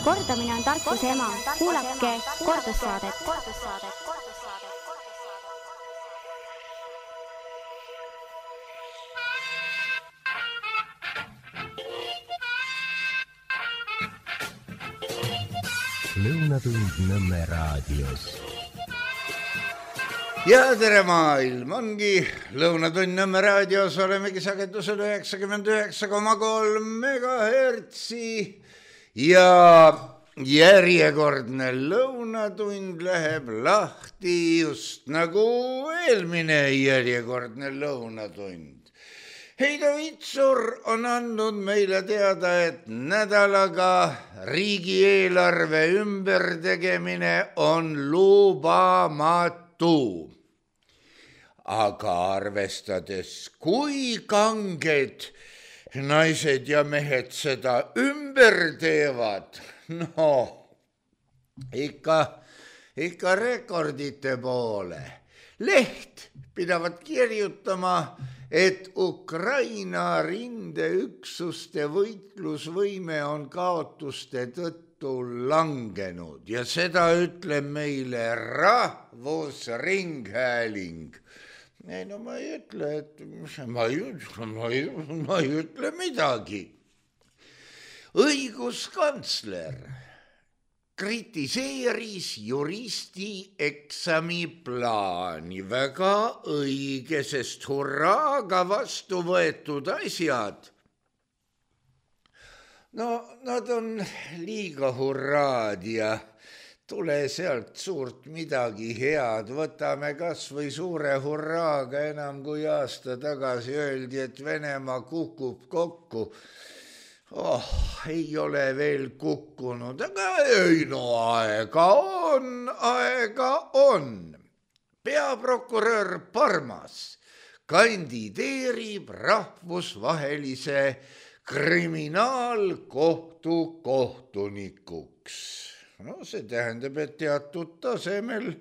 Kordamine on tarkuse ema. Kuulake kordussaadet. Lõunatund Nõmme raadios. Ja tere maailm, ongi Lõunatund Nõmme raadios, olemegi sagedusel 99,3 megahertsi ja järjekordne lõunatund läheb lahti just nagu eelmine järjekordne lõunatund. Heido Vitsur on andnud meile teada, et nädalaga riigieelarve ümbertegemine on lubamatu. Aga arvestades, kui kanged naised ja mehed seda ümber teevad, ikka rekordite poole. Leht pidavat kirjutama, et Ukraina rindeüksuste võitlusvõime on kaotuste tõttu langenud ja seda ütleb meile Rahvusringhääling. Ei, no ma ei ütle midagi. Õiguskantsler kritiseeris juristi eksami plaani. Väga õige, sest hurraaga vastu võetud asjad. No, nad on liiga hurraad ja tule sealt suurt midagi head. Võtame kas või suure hurraaga enam kui aasta tagasi öeldi, et Venemaa kukub kokku. Ei ole veel kukkunud, aga ei, no aega on. Peaprokurör Parmas kandideerib rahvusvahelise kriminaalkohtu kohtunikuks. No see tähendab, et teatud tasemel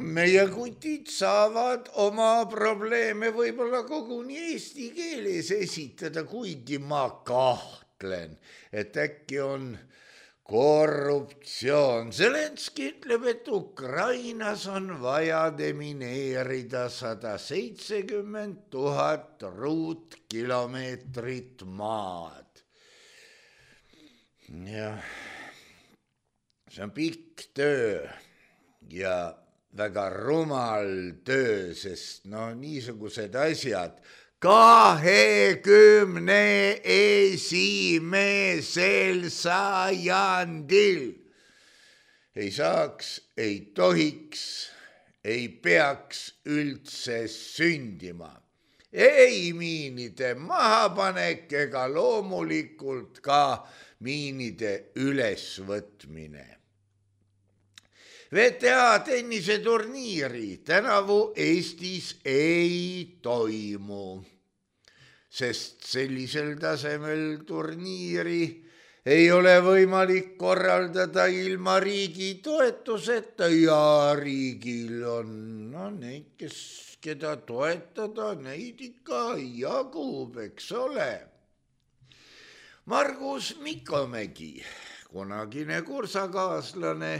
meie kutid saavad oma probleeme võib-olla koguni eesti keeles esitada, kuigi ma kahtlen, et äkki on korruptsioon. Zelenski ütleb, et Ukrainas on vaja demineerida 170 000 ruutkilomeetrit maad. Ja see on pikk töö ja väga rumal töö, sest niisugused asjad 21. sajandil ei saaks, ei tohiks, ei peaks üldse sündima. Ei miinide mahapanek ega loomulikult ka miinide ülesvõtmine. VTA tenniseturniiri tänavu Eestis ei toimu, sest sellisel tasemel turniiri ei ole võimalik korraldada ilma riigi toetuseta ja riigil on neid, keda toetada, neid ikka jagub, eks ole. Margus Mikomägi, kunagine kursakaaslane,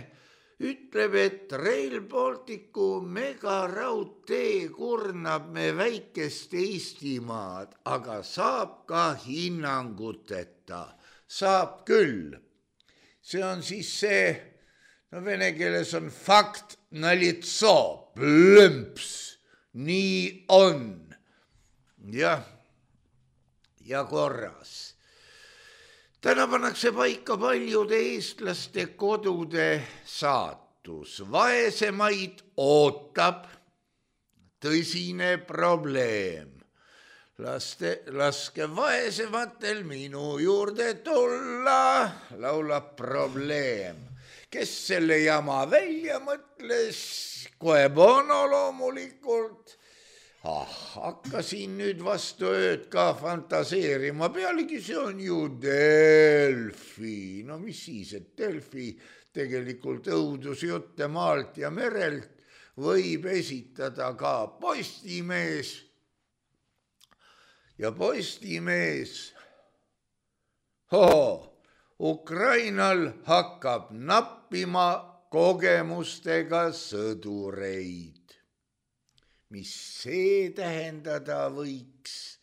ütleb, et Rail Balticu megaraudtee kurnab me väikest Eestimaad, aga saab ka hinnanguteta. Saab küll. See on siis see, vene keeles on fakt nalitso, plõmps, nii on. Ja korras. Täna pannakse paika paljude eestlaste kodude saatus. Vaesemaid ootab tõsine probleem. Laske vaesematel minu juurde tulla, laulab probleem. Kes selle jama välja mõtles? Kohe Bono loomulikult. Hakkasin nüüd vastu ööd ka fantaseerima, pealegi see on ju Delfi. No mis siis, et Delfi tegelikult õudusjutte maalt ja merelt võib esitada ka Postimees. Ja Postimees Ukrainal hakkab nappima kogemustega sõdureid. Mis see tähendada võiks,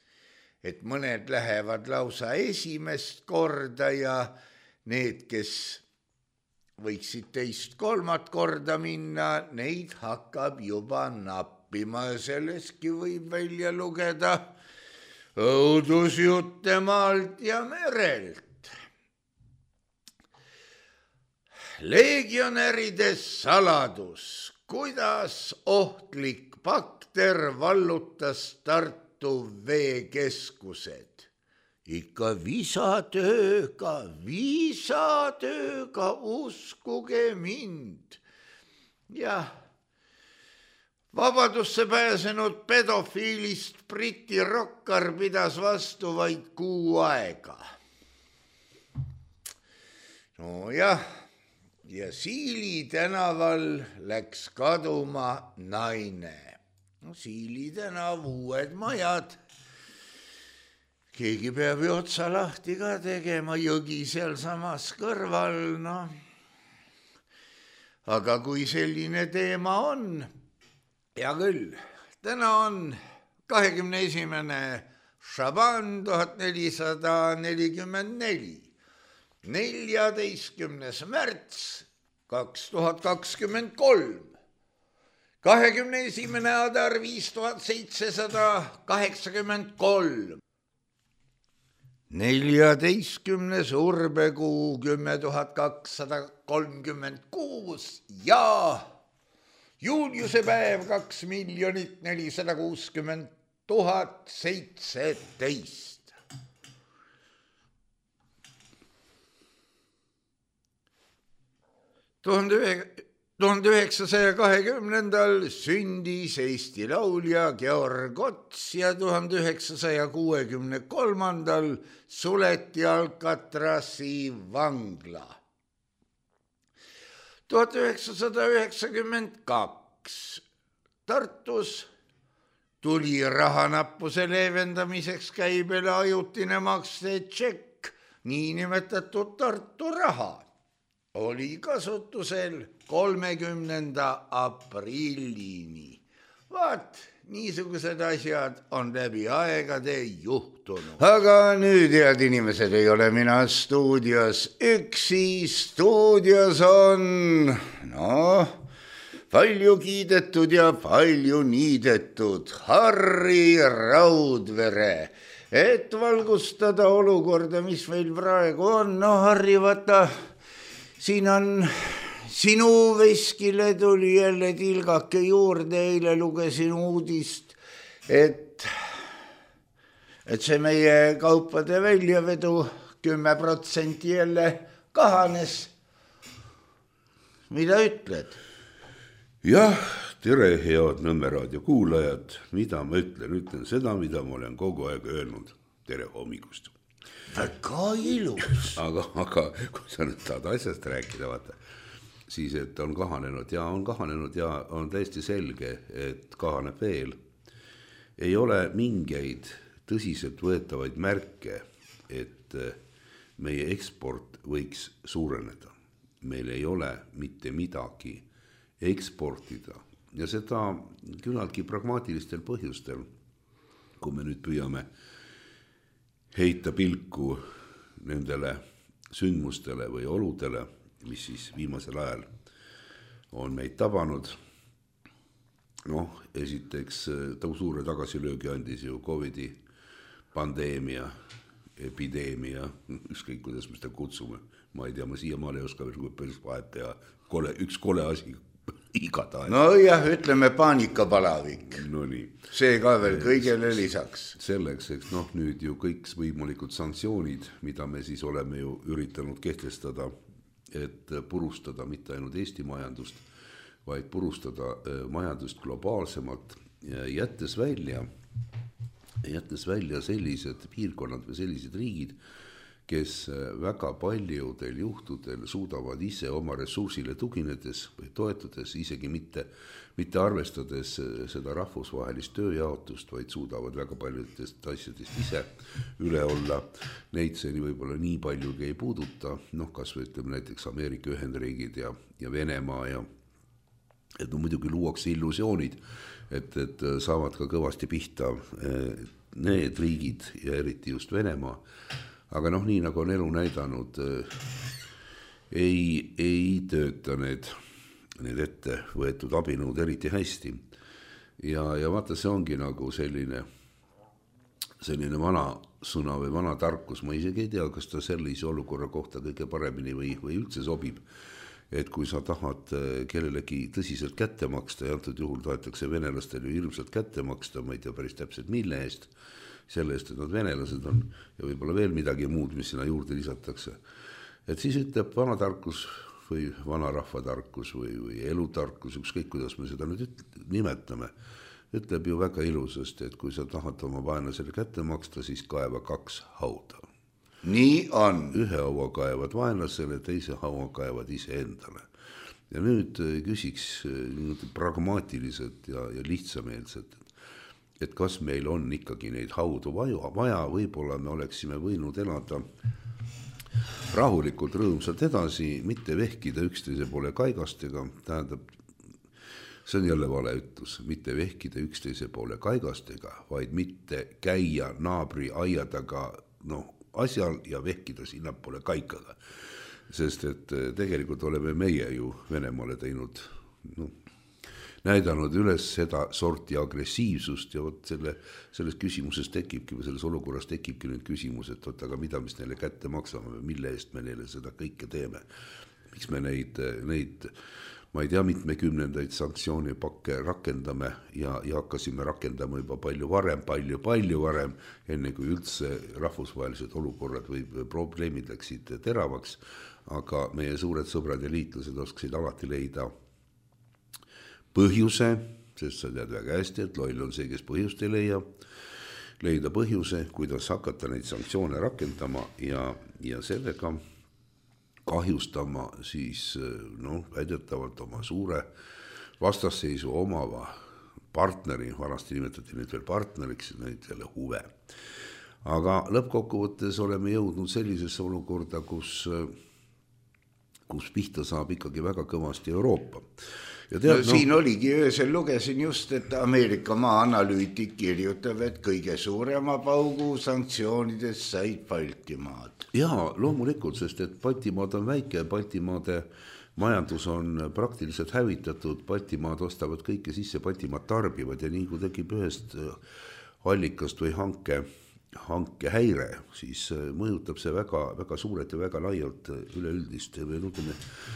et mõned lähevad lausa esimest korda ja need, kes võiksid teist kolmat korda minna, neid hakkab juba nappima ja selleski võib välja lugeda õudusjutte maalt ja merelt. Legionäride saladus, kuidas ohtlik bakter vallutas Tartu veekeskused. Ikka viisatööga, uskuge mind. Jah, vabadusse pääsenud pedofiilist Briti rokkar pidas vastu vaid 6 aega. Nojah, ja Siili tänaval läks kaduma naine. Siili tänav, uued majad. Keegi peab ju otsa lahti ka tegema, jõgi seal samas kõrval, no. Aga kui selline teema on, hea küll, täna on 21. Šaban 1444, 14. märts 2023, 21. Adar 5783, 14. urbekuu 10236 ja juuliuse päev 2 460 017. Tuhande 1920. sündis Eesti laulja Georg Ots ja 1963. suleti Alcatrazi vangla. 1992 Tartus tuli rahanappuse leevendamiseks käibele ajutine maksetšekk, niinimetatud Tartu raha. Oli kasutusel 30. aprillini. Vaat, niisugused asjad on läbi aegade juhtunud. Aga nüüd, head inimesed, ei ole mina stuudios üksi. Stuudios on, palju kiidetud ja palju niidetud Harri Raudvere, et valgustada olukorda, mis meil praegu on. Harri, vaata, siin on sinu veskile tuli jälle tilgake juurde, eile lugesin uudist, et see meie kaupade väljavedu 10% jälle kahanes. Mida ütled? Jah, tere, head Nõmme raadio kuulajad. Mida ma ütlen? Ütlen seda, mida ma olen kogu aeg öelnud. Tere hommikust. Väga ilus. Aga kui sa nüüd tahad asjast rääkida, vaata, siis et on kahanenud ja on täiesti selge, et kahaneb veel. Ei ole mingeid tõsiselt võetavaid märke, et meie eksport võiks suureneda. Meil ei ole mitte midagi eksportida ja seda küllaltki pragmaatilistel põhjustel, kui me nüüd püüame heita pilku nendele sündmustele või oludele, mis siis viimasel ajal on meid tabanud. Esiteks suure tagasilöögi andis ju COVID-i pandeemia, epideemia, ükskõik kuidas me seda kutsume. Ma ei tea, ma siiamaale ei oska veel päris vahet teha. Üks kole asi igatahes. Jah, ütleme paanikapalavik. No nii. See ka veel kõigele lisaks. Selleks, eks nüüd ju kõik võimalikud sanktsioonid, mida me siis oleme ju üritanud kehtestada, et purustada mitte ainult Eesti majandust, vaid purustada majandust globaalsemalt, jättes välja sellised piirkonnad või sellised riigid, kes väga paljudel juhtudel suudavad ise oma ressursile tuginedes või toetudes, isegi mitte arvestades seda rahvusvahelist tööjaotust, vaid suudavad väga paljudest asjadest ise üle olla. Neid see võib-olla nii paljugi ei puuduta, kas või ütleme näiteks Ameerika Ühendriigid ja Venemaa ja et muidugi luuakse illusioonid, et saavad ka kõvasti pihta need riigid ja eriti just Venemaa. Aga nii nagu on elu näidanud, ei tööta need ette võetud abinõud eriti hästi. Ja vaata, see ongi nagu selline vana sõna või vana tarkus. Ma isegi ei tea, kas ta sellise olukorra kohta kõige paremini või üldse sobib. Et kui sa tahad kellelegi tõsiselt kätte maksta ja antud juhul tahetakse venelastele ju hirmsalt kätte maksta, ma ei tea päris täpselt mille eest, selle eest, et nad venelased on ja võib-olla veel midagi muud, mis sinna juurde lisatakse. Et siis ütleb vanatarkus või vanarahvatarkus või elutarkus, ükskõik kuidas me seda nüüd nimetame, ütleb ju väga ilusasti, et kui sa tahad oma vaenlasele kätte maksta, siis kaeva 2 hauda. Nii on. Ühe haua kaevad vaenlasele, teise haua kaevad ise endale. Ja nüüd küsiks pragmaatiliselt ja lihtsameelselt, et kas meil on ikkagi neid haudu vaja, võib-olla me oleksime võinud elada rahulikult rõõmsalt edasi, mitte vehkida üksteise poole kaigastega, tähendab, see on jälle vale ütlus, mitte vehkida üksteise poole kaigastega, vaid mitte käia naabri aia taga asjal ja vehkida sinnapoole kaikaga. Sest et tegelikult oleme meie ju Venemaale teinud, näidanud üles seda sorti agressiivsust ja selles küsimuses tekibki või selles olukorras tekibki nüüd küsimus, et aga mida me neile kätte maksame või mille eest me neile seda kõike teeme. Miks me neid ma ei tea, mitmekümnendaid sanktsioonipakke rakendame ja hakkasime rakendama juba palju varem, enne kui üldse rahvusvahelised olukorrad või probleemid läksid teravaks, aga meie suured sõbrad ja liitlased oskasid alati leida põhjuse, sest sa tead väga hästi, et loll on see, kes põhjust ei leida põhjuse, kuidas hakata neid sanktsioone rakendama ja sellega kahjustama siis väidetavalt oma suure vastasseisu omava partneri, vanasti nimetati neid veel partneriks, neid jälle huve. Aga lõppkokkuvõttes oleme jõudnud sellisesse olukorda, kus pihta saab ikkagi väga kõvasti Euroopa. Siin oligi öösel lugesin just, et Ameerika maa-analüütik kirjutab, et kõige suurema paugu sanktsioonides said Baltimaad. Jaa, loomulikult, sest et Baltimaad on väike, Baltimaade majandus on praktiliselt hävitatud, Baltimaad ostavad kõike sisse, Baltimaad tarbivad ja nii kui tekib ühest allikast või hanke häire, siis mõjutab see väga, väga suurelt ja väga laialt üleüldist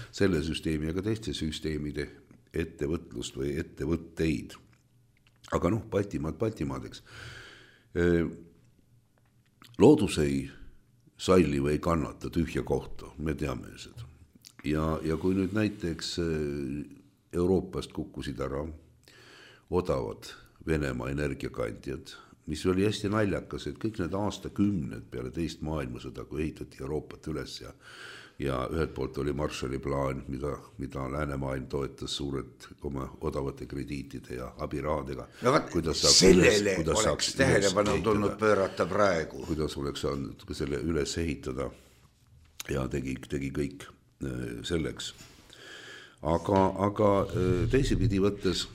selle süsteemi ja ka teiste süsteemide ettevõtlust või ettevõtteid. Aga Baltimaadeks. Loodus ei salli või ei kannata tühja kohta, me teame seda. Ja kui nüüd näiteks Euroopast kukkusid ära odavad Venemaa energiakandjad, mis oli hästi naljakas, et kõik need aastakümned peale teist maailmasõda, kui ehitati Euroopat üles ja ühelt poolt oli Marshalli plaan, mida läänemaailm toetas suurelt oma odavate krediitide ja abirahadega. Sellele oleks tähelepanu tulnud pöörata praegu. Kuidas oleks saanud selle üles ehitada ja tegi kõik selleks. Aga teisipidi võttes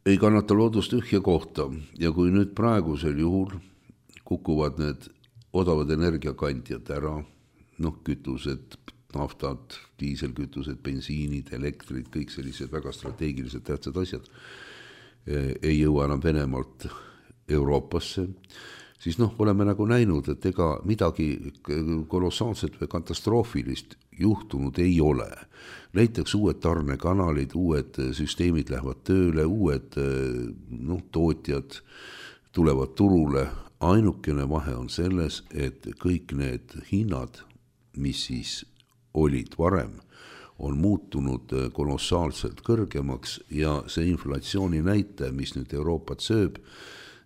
ei kannata loodust tühja kohta ja kui nüüd praegusel juhul kukuvad need odavad energiakandjad ära, kütused, naftad, diiselkütused, bensiinid, elektrid, kõik sellised väga strateegilised tähtsad asjad ei jõua enam Venemaalt Euroopasse, siis oleme nagu näinud, et ega midagi kolossaalset või katastroofilist juhtunud ei ole. Leitakse uued tarnekanalid, uued süsteemid lähevad tööle, uued tootjad tulevad turule. Ainukene vahe on selles, et kõik need hinnad, mis siis olid varem, on muutunud kolossaalselt kõrgemaks ja see inflatsiooni näitaja, mis nüüd Euroopat sööb,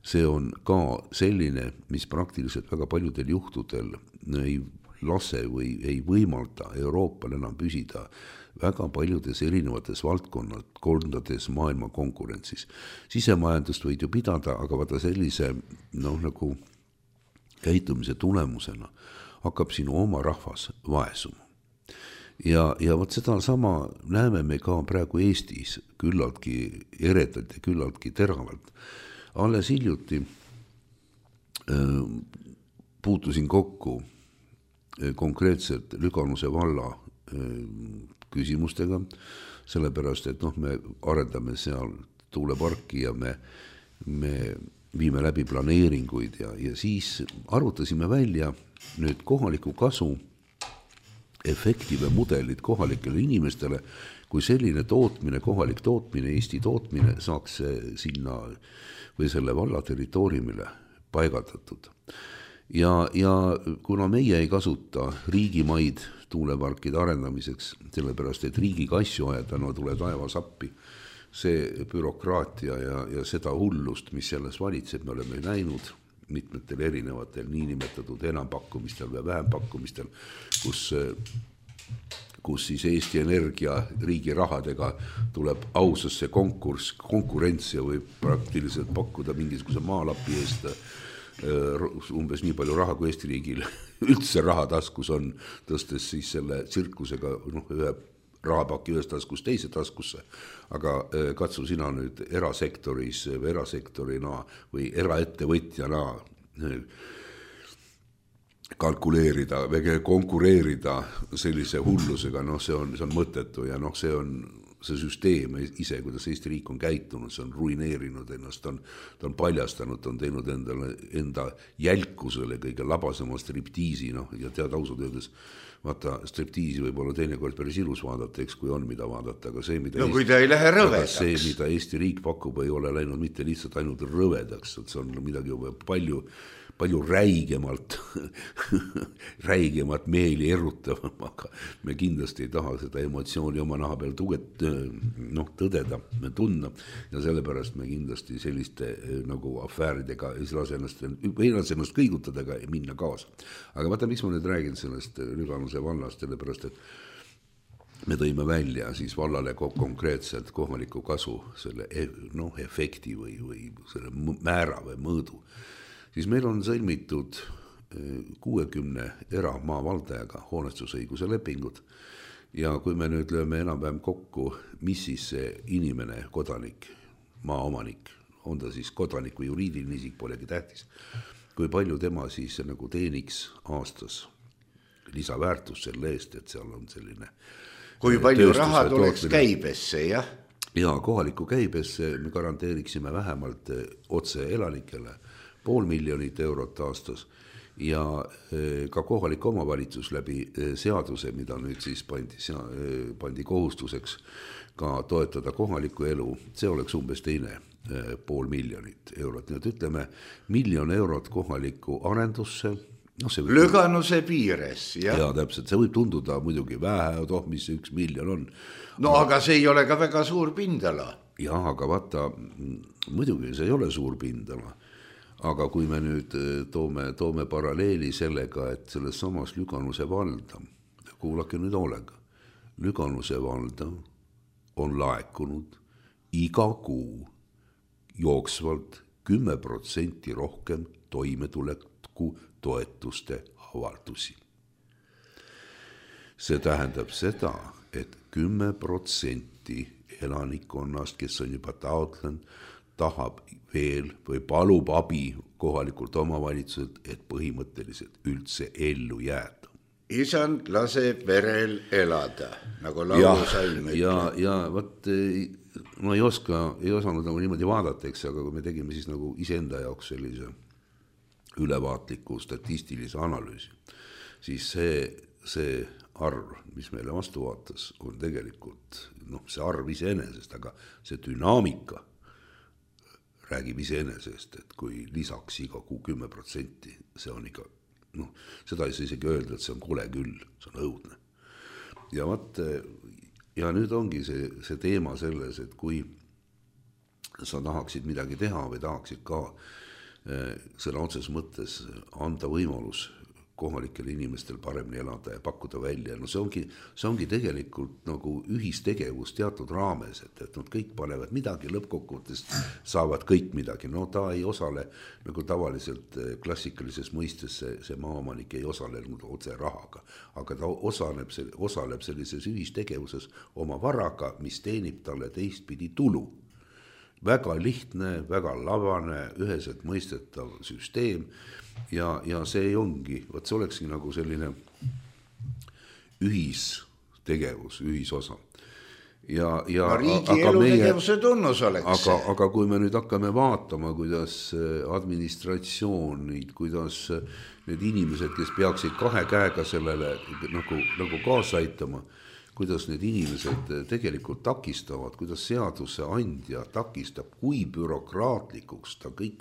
see on ka selline, mis praktiliselt väga paljudel juhtudel ei lase või ei võimalda Euroopal enam püsida väga paljudes erinevates valdkondades maailma konkurentsis. Sisemajandust võid ju pidada, aga vaata sellise nagu käitumise tulemusena hakkab sinu oma rahvas vaesuma. Ja vot seda sama näeme me ka praegu Eestis küllaltki eredalt ja küllaltki teravalt. Alles hiljuti puutusin kokku konkreetselt Lüganuse valla küsimustega, sellepärast, et me arendame seal tuuleparki ja me viime läbi planeeringuid ja siis arvutasime välja nüüd kohaliku kasu efekti või mudelid kohalikele inimestele, kui selline tootmine, kohalik tootmine, Eesti tootmine saaks sinna või selle valla territooriumile paigaldatud. Ja kuna meie ei kasuta riigimaid tuuleparkide arendamiseks, sellepärast, et riigiga asju ajada, tuleb taevas appi, see bürokraatia ja seda hullust, mis selles valitseb, me oleme näinud mitmetel erinevatel niinimetatud enampakkumistel või vähempakkumistel, kus siis Eesti Energia riigi rahadega tuleb ausasse konkurents ja võib praktiliselt pakkuda mingisuguse maalapi eest umbes nii palju raha, kui Eesti riigil üldse rahataskus on, tõstes siis selle tsirkusega ühe rahapaki ühest taskust teise taskusse, aga katsu sina nüüd erasektoris või erasektorina või eraettevõtjana kalkuleerida või konkureerida sellise hullusega, see on mõttetu ja see on see süsteem ise, kuidas Eesti riik on käitunud, see on ruineerinud ennast, ta on paljastanud, ta on teinud enda jälkusele kõige labasema striptiisi, ja tead ausalt öeldes, vaata, striptiisi võib olla teinekord päris ilus vaadata, eks kui on mida vaadata, aga see, kui ta ei lähe rõvedaks. See, mida Eesti riik pakub, ei ole läinud mitte lihtsalt ainult rõvedaks, see on midagi palju räigemat meeli erutavam, aga me kindlasti ei taha seda emotsiooni oma naha peal tõdeda, me tundma ja sellepärast me kindlasti selliste nagu afääridega ei lase ennast kõigutadega minna kaasa. Aga vaata, miks ma nüüd räägin sellest Lüganuse vallast, sellepärast, et me tõime välja siis vallale konkreetselt kohaliku kasu selle efekti või selle määra või mõõdu. Siis meil on sõlmitud 60 eramaavaldajaga hoonestusõiguse lepingud ja kui me nüüd lööme enam-vähem kokku, mis siis see inimene, kodanik, maaomanik, on ta siis kodanik või juriidiline isik, polegi tähtis, kui palju tema siis nagu teeniks aastas lisaväärtus selle eest, et seal on selline kui palju raha tuleks käibesse, jah? Ja kohaliku käibesse me garanteeriksime vähemalt otse elanikele 500 000 eurot aastas ja ka kohalik omavalitsus läbi seaduse, mida nüüd siis pandi kohustuseks ka toetada kohalikku elu, see oleks umbes 500 000 eurot. Nii et ütleme 1 000 000 eurot kohalikku arendusse. Lüganuse piires, jah. Ja täpselt, see võib tunduda muidugi vähe, mis 1 miljon on. Aga see ei ole ka väga suur pindala. Ja, aga vaata, muidugi see ei ole suur pindala. Aga kui me nüüd toome paralleeli sellega, et selles samas Lüganuse valda, kuulake nüüd hoolega, Lüganuse valda on laekunud iga kuu jooksvalt 10% rohkem toimetuleku toetuste avaldusi. See tähendab seda, et 10% elanikkonnast, kes on juba taotlenud, tahab veel või palub abi kohalikult omavalitsuselt, et põhimõtteliselt üldse ellu jääda. Isand laseb verel elada, nagu laulusalm ütleb. Ja võt, ma ei osanud nagu niimoodi vaadata, eks, aga kui me tegime siis nagu iseenda jaoks sellise ülevaatliku statistilise analüüsi, siis see arv, mis meile vastu vaatas, on tegelikult see arv iseenesest, aga see dünaamika räägib iseenesest, et kui lisaks iga kuu 10%, see on ikka, seda ei saa isegi öelda, et see on kole küll, see on õudne. Ja nüüd ongi see teema selles, et kui sa tahaksid midagi teha või tahaksid ka sõna otses mõttes anda võimalus kohalikel inimestel paremini elada ja pakkuda välja. No see ongi tegelikult nagu ühistegevus teatud raames, et nad kõik panevad midagi, lõppkokkuvõttes saavad kõik midagi. No ta ei osale nagu tavaliselt klassikalises mõistes see maaomanik ei osale otse rahaga, aga ta osaleb sellises ühistegevuses oma varaga, mis teenib talle teistpidi tulu. Väga lihtne, väga labane, üheselt mõistetav süsteem ja see ongi, see olekski nagu selline ühistegevus, ühisosa. No riigi elutegevuse tunnus oleks. Aga kui me nüüd hakkame vaatama, kuidas administratsioonid, kuidas need inimesed, kes peaksid kahe käega sellele nagu kaasa aitama, kuidas need inimesed tegelikult takistavad, kuidas seaduse andja takistab, kui bürokraatlikuks ta kõik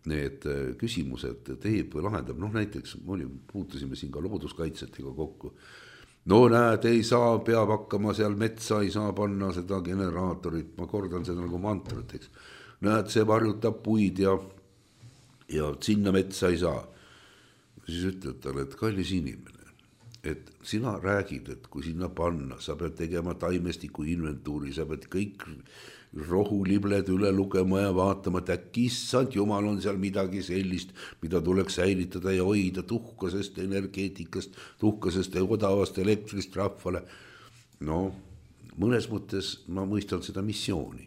need küsimused teeb või lahendab. Noh, näiteks puutusime siin ka looduskaitsetega kokku. No näed, ei saa, peab hakkama seal metsa, ei saa panna seda generaatorit, ma kordan seda nagu mantrat, eks. Näed, see varjutab puid ja sinna metsa ei saa. Siis ütled talle, et kallis inimene, et sina räägid, et kui sinna panna, sa pead tegema taimestiku inventuuri, sa pead kõik rohulibled üle lugema ja vaatama, et äkki issand jumal on seal midagi sellist, mida tuleks säilitada ja hoida tuhkasest energeetikast, tuhkasest ja odavast elektrist rahvale. No, mõnes mõttes ma mõistan seda missiooni,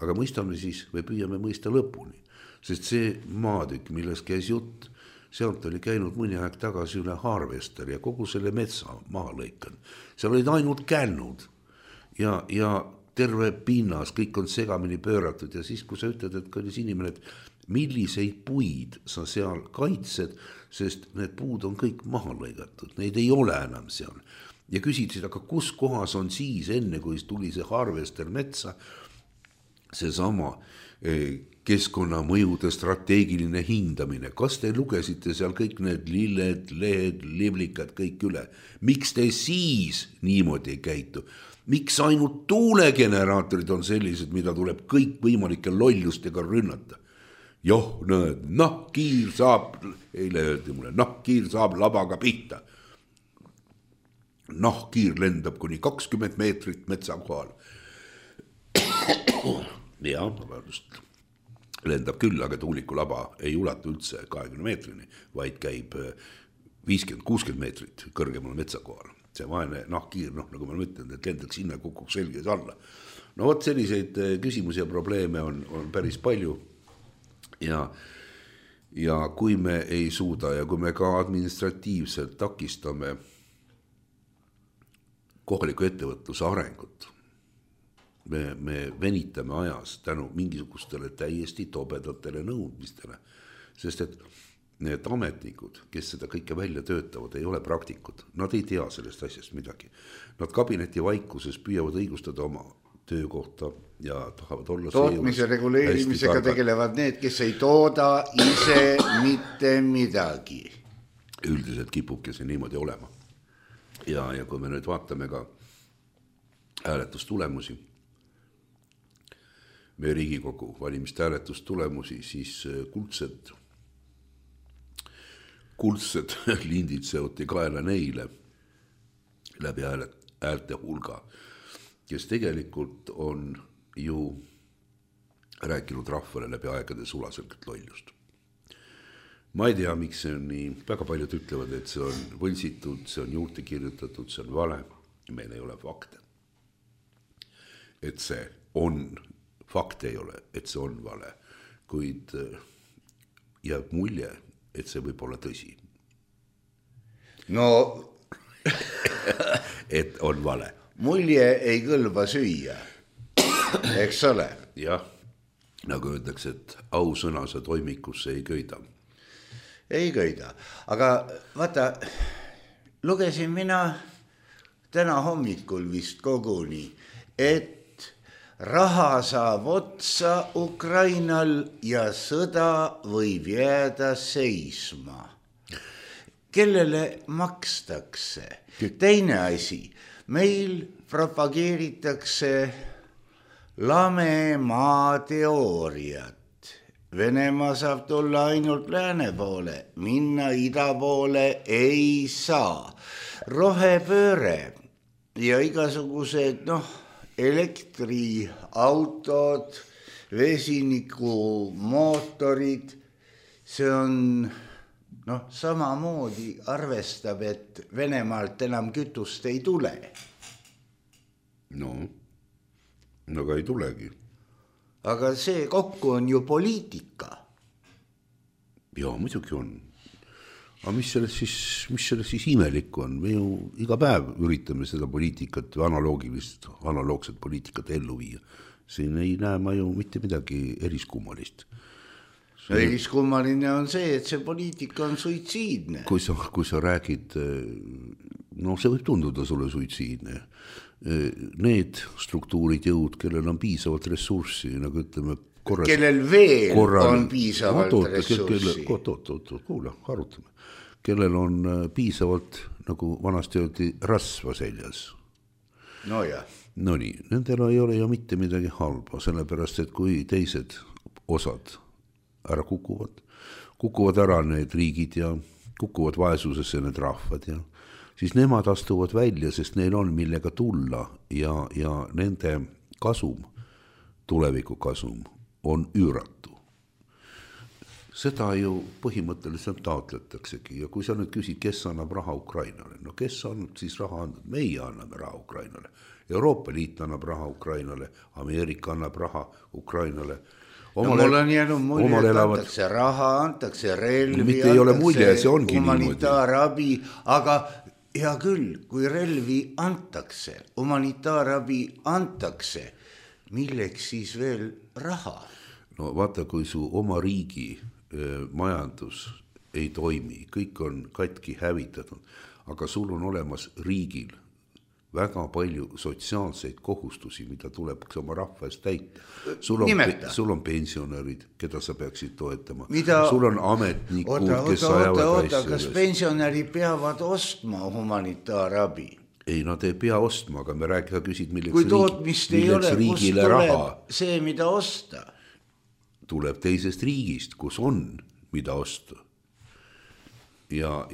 aga mõistame siis või püüame mõista lõpuni, sest see maatükk, milles käis jutt, sealt oli käinud mõni aeg tagasi üle Harvester ja kogu selle metsa maha lõikan. Seal olid ainult kännud ja terve pinnas, kõik on segamini pööratud ja siis, kui sa ütled, et kallis inimene, et milliseid puid sa seal kaitsed, sest need puud on kõik maha lõigatud, neid ei ole enam seal. Ja küsitsid, aga kus kohas on siis enne, kui tuli see Harvester metsa, seesama keskkonnamõjude strateegiline hindamine. Kas te lugesite seal kõik need lilled, lehed, liblikad, kõik üle? Miks te siis niimoodi ei käitu? Miks ainult tuulegeneraatorid on sellised, mida tuleb kõik võimalike lollustega rünnata? Joh, näed, nahkkiir saab, eile öeldi mulle, nahkkiir saab labaga pihta. Nahkkiir lendab kuni 20 meetrit metsa kohal. Ja, just lendab küll, aga tuuliku laba ei ulatu üldse 20 meetrini, vaid käib 50-60 meetrit kõrgemale metsa kohal. See vaene nahkkiir, nagu ma mõtlen, et lendaks sinna, kukuks selges alla. No vot selliseid küsimusi ja probleeme on päris palju ja kui me ei suuda ja kui me ka administratiivselt takistame kohaliku ettevõtluse arengut, me venitame ajas tänu mingisugustele täiesti tobedatele nõudmistele, sest et need ametnikud, kes seda kõike välja töötavad, ei ole praktikud. Nad ei tea sellest asjast midagi. Nad kabineti vaikuses püüavad õigustada oma töökohta ja tahavad olla tootmise reguleerimisega tegelevad need, kes ei tooda ise mitte midagi. Üldiselt kipubki see niimoodi olema. Ja kui me nüüd vaatame ka hääletustulemusi, meie Riigikogu valimiste hääletustulemusi, siis kuldsed lindid seoti kaela neile läbi häälte hulga, kes tegelikult on ju rääkinud rahvale läbi aegade sulaselgelt lollust. Ma ei tea, miks see on nii, väga paljud ütlevad, et see on võlsitud, see on juurde kirjutatud, see on vale, meil ei ole fakte. Et see on, fakte ei ole, et see on vale, kuid jääb mulje, et see võib olla tõsi. No, et on vale. Mulje ei kõlba süüa, eks ole? Jah, nagu öeldakse, et ausõna sa toimikusse ei köida. Ei köida, aga vaata, lugesin mina täna hommikul vist koguni, et raha saab otsa Ukrainal ja sõda võib jääda seisma. Kellele makstakse? Teine asi, meil propageeritakse lame maa teooriat. Venemaa saab tulla ainult lääne poole, minna ida poole ei saa. Rohepööre ja igasugused elektriautod, vesinikumootorid, see on samamoodi arvestab, et Venemaalt enam kütust ei tule. No, aga ei tulegi. Aga see kokku on ju poliitika. Jaa, muidugi on. Aga mis selles siis imelik on? Me ju iga päev üritame seda poliitikat või analoogset poliitikat ellu viia. Siin ei näe ma ju mitte midagi eriskummalist. Eriskummaline on see, et see poliitika on suitsiidne. Kui sa räägid, see võib tunduda sulle suitsiidne. Need struktuurid jõud, kellel on piisavalt ressurssi, nagu ütleme kellel veel on piisavalt ressurssi. Kuule, arutame. Kellel on piisavalt, nagu vanasti öeldi, rasva seljas. No jah. No nii, nendel ei ole ju mitte midagi halba, sellepärast, et kui teised osad ära kukuvad ära need riigid ja kukuvad vaesusesse need rahvad ja siis nemad astuvad välja, sest neil on millega tulla ja nende kasum, tuleviku kasum on üüratu. Seda ju põhimõtteliselt taotletaksegi ja kui sa nüüd küsid, kes annab raha Ukrainale, kes on siis raha andnud? Meie anname raha Ukrainale, Euroopa Liit annab raha Ukrainale, Ameerika annab raha Ukrainale. Mul on jäänud mulje, et antakse raha, antakse relvi, antakse humanitaarabi, aga hea küll, kui relvi antakse, humanitaarabi antakse, milleks siis veel raha? No vaata, kui su oma riigi majandus ei toimi, kõik on katki hävitatud, aga sul on olemas riigil väga palju sotsiaalseid kohustusi, mida tuleb oma rahva eest täita. Sul on pensionärid, keda sa peaksid toetama. Sul on ametnikud, kes ajavad asju. Kas pensionärid peavad ostma humanitaarabi? Ei, nad ei pea ostma, aga me küsid, kui tootmist ei ole, kus tuleb see, mida osta? Tuleb teisest riigist, kus on, mida osta. Ja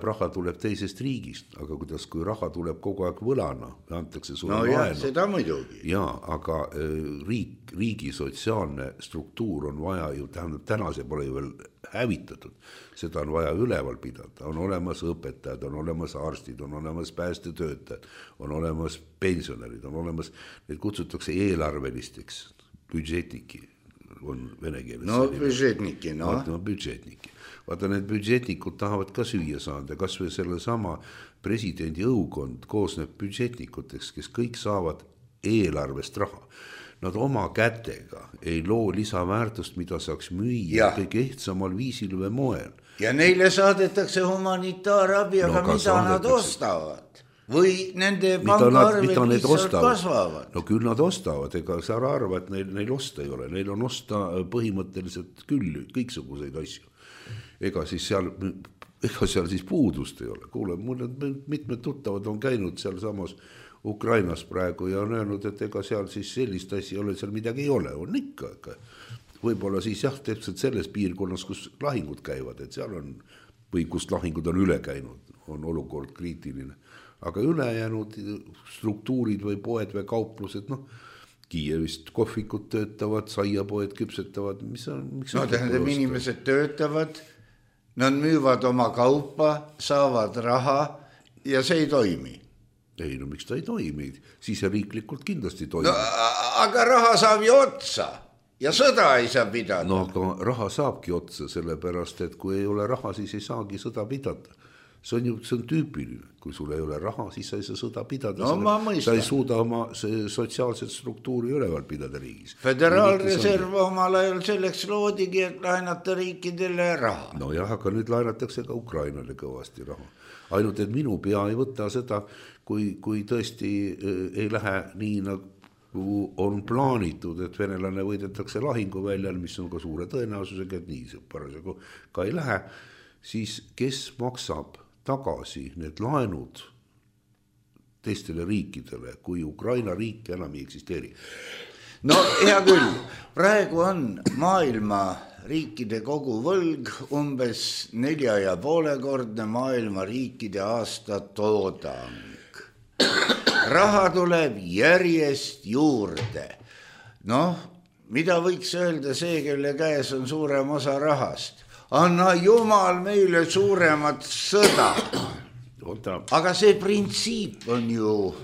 raha tuleb teisest riigist, aga kui raha tuleb kogu aeg võlana, antakse sulle laenu. Seda muidugi. Jaa, aga riigi sotsiaalne struktuur on vaja ju, täna see pole ju veel hävitatud, seda on vaja üleval pidada, on olemas õpetajad, on olemas arstid, on olemas päästetöötajad, on olemas pensionärid, on olemas, need kutsutakse eelarvelisteks, budžetniki on vene keeles. Budžetniki. Vaata, need budžetnikud tahavad ka süüa saada, kas või selle sama presidendi õukond koosneb budžetnikuteks, kes kõik saavad eelarvest raha. Nad oma kätega ei loo lisaväärtust, mida saaks müüa kõige ehtsamal viisil või moel. Ja neile saadetakse humanitaarabi, aga mida nad ostavad? Või nende pangaarvel lihtsalt kasvavad? No küll nad ostavad, ega sa arva, et neil osta ei ole. Neil on osta põhimõtteliselt küll kõiksuguseid asju. Ega seal siis puudust ei ole. Kuule, mul mitmed tuttavad on käinud seal samas Ukrainas praegu ja on öelnud, et ega seal siis sellist asja ei ole, seal midagi ei ole. On ikka. Võib-olla siis täpselt selles piirkonnas, kus lahingud käivad, et seal on, või kus lahingud on üle käinud, on olukord kriitiline. Aga ülejäänud struktuurid või poed või kauplused, Kiievist kohvikud töötavad, saiapoed küpsetavad. Tähendab, inimesed töötavad, nad müüvad oma kaupa, saavad raha ja see ei toimi. Ei, miks ta ei toimi? Siseriiklikult kindlasti toimi. Aga raha saab ju otsa ja sõda ei saa pidada. Aga raha saabki otsa, sellepärast, et kui ei ole raha, siis ei saagi sõda pidada. See on tüüpiline, kui sul ei ole raha, siis sa ei saa sõda pidada. Sa ei suuda oma sotsiaalset struktuuri üleval pidada riigis. Föderaalreserv omal ajal selleks loodigi, et laenata riikidele raha. No jah, aga nüüd laenatakse ka Ukrainale kõvasti raha. Ainult, et minu pea ei võta seda, kui tõesti ei lähe nii, nagu on plaanitud, et venelane võidetakse lahinguväljal, mis on ka suure tõenäosusega, et nii see parasjagu ka ei lähe, siis kes maksab tagasi need laenud teistele riikidele, kui Ukraina riik enam ei eksisteeri? No hea küll, praegu on maailma riikide koguvõlg umbes 4,5-kordne maailma riikide aastatoodang. Raha tuleb järjest juurde. Noh, mida võiks öelda see, kelle käes on suurem osa rahast? Anna jumal meile suuremat sõda. Aga see printsiip on ju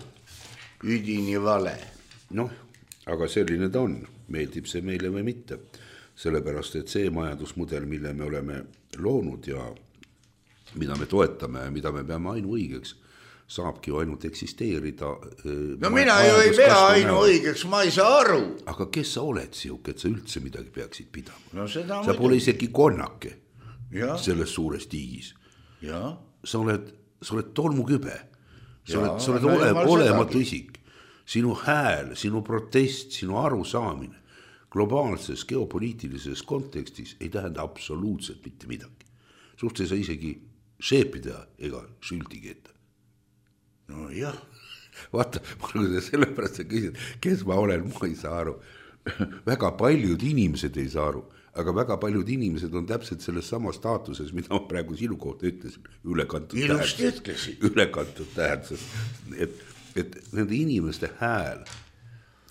üdini vale. Noh, aga selline ta on. Meeldib see meile või mitte. Sellepärast, et see majandusmudel, mille me oleme loonud ja mida me toetame ja mida me peame ainuõigeks, saabki ju ainult eksisteerida. No mina ju ei pea ainuõigeks, ma ei saa aru. Aga kes sa oled siuke, et sa üldse midagi peaksid pidama? No seda sa pole isegi konnake ja. Selles suures tiigis. Ja. Sa oled tolmukübe. Sa oled olematu isik. Sinu hääl, sinu protest, sinu arusaamine globaalses geopoliitilises kontekstis ei tähenda absoluutselt mitte midagi. Suht ei saa isegi šeepida ega šültigi ette. No jah. Vaata, sellepärast sa küsid, kes ma olen, ma ei saa aru. Väga paljud inimesed ei saa aru, aga väga paljud inimesed on täpselt selles samas staatuses, mida ma praegu sinu kohta ütlesin, ülekantud tähenduses, et nende inimeste hääl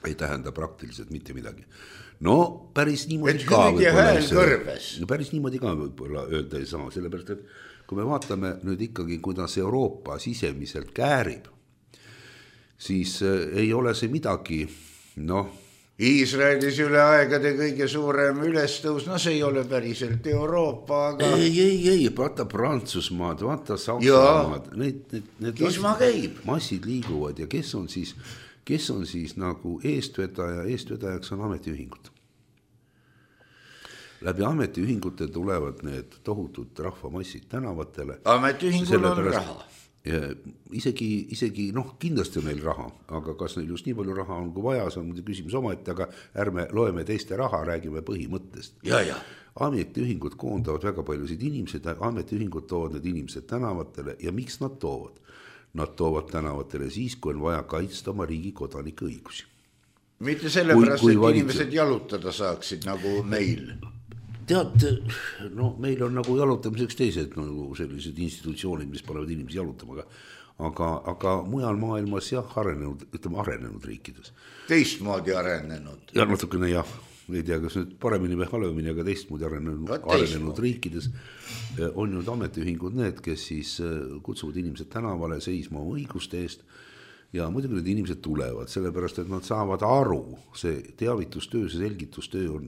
ei tähenda praktiliselt mitte midagi. No päris niimoodi ka võib-olla öelda ei saa, sellepärast, et kui me vaatame nüüd ikkagi, kuidas Euroopa sisemiselt käärib, siis ei ole see midagi, noh. Iisraelis üle aegade kõige suurem ülestõus, no see ei ole päriselt Euroopa, aga... Ei, vaata Prantsusmaad, vaata Saksamaad, need massid liiguvad ja kes on siis nagu eestvedajaks on ametiühingud. Läbi ametiühingute tulevad need tohutud rahvamassid tänavatele. Ametiühingul on raha. Isegi, noh, kindlasti on neil raha, aga kas neil just nii palju raha on kui vaja, see on muidu küsimus omaette, aga ärme loeme teiste raha, räägime põhimõttest. Ja. Ametiühingud koondavad väga paljusid inimesed, ametiühingud toovad need inimesed tänavatele ja miks nad toovad? Nad toovad tänavatele siis, kui on vaja kaitsta oma riigi kodanike õigusi. Mitte sellepärast, et inimesed jalutada saaksid nagu meil. Tead, no meil on nagu jalutamiseks teised nagu sellised institutsioonid, mis panevad inimesi jalutama, aga mujal maailmas jah, arenenud riikides. Teistmoodi arenenud. Ja natukene jah, ei tea, kas nüüd paremini või halvemini, aga teistmoodi arenenud riikides on nüüd ametiühingud need, kes siis kutsuvad inimesed tänavale seisma oma õiguste eest ja muidugi need inimesed tulevad, sellepärast, et nad saavad aru, see teavitustöö, see selgitustöö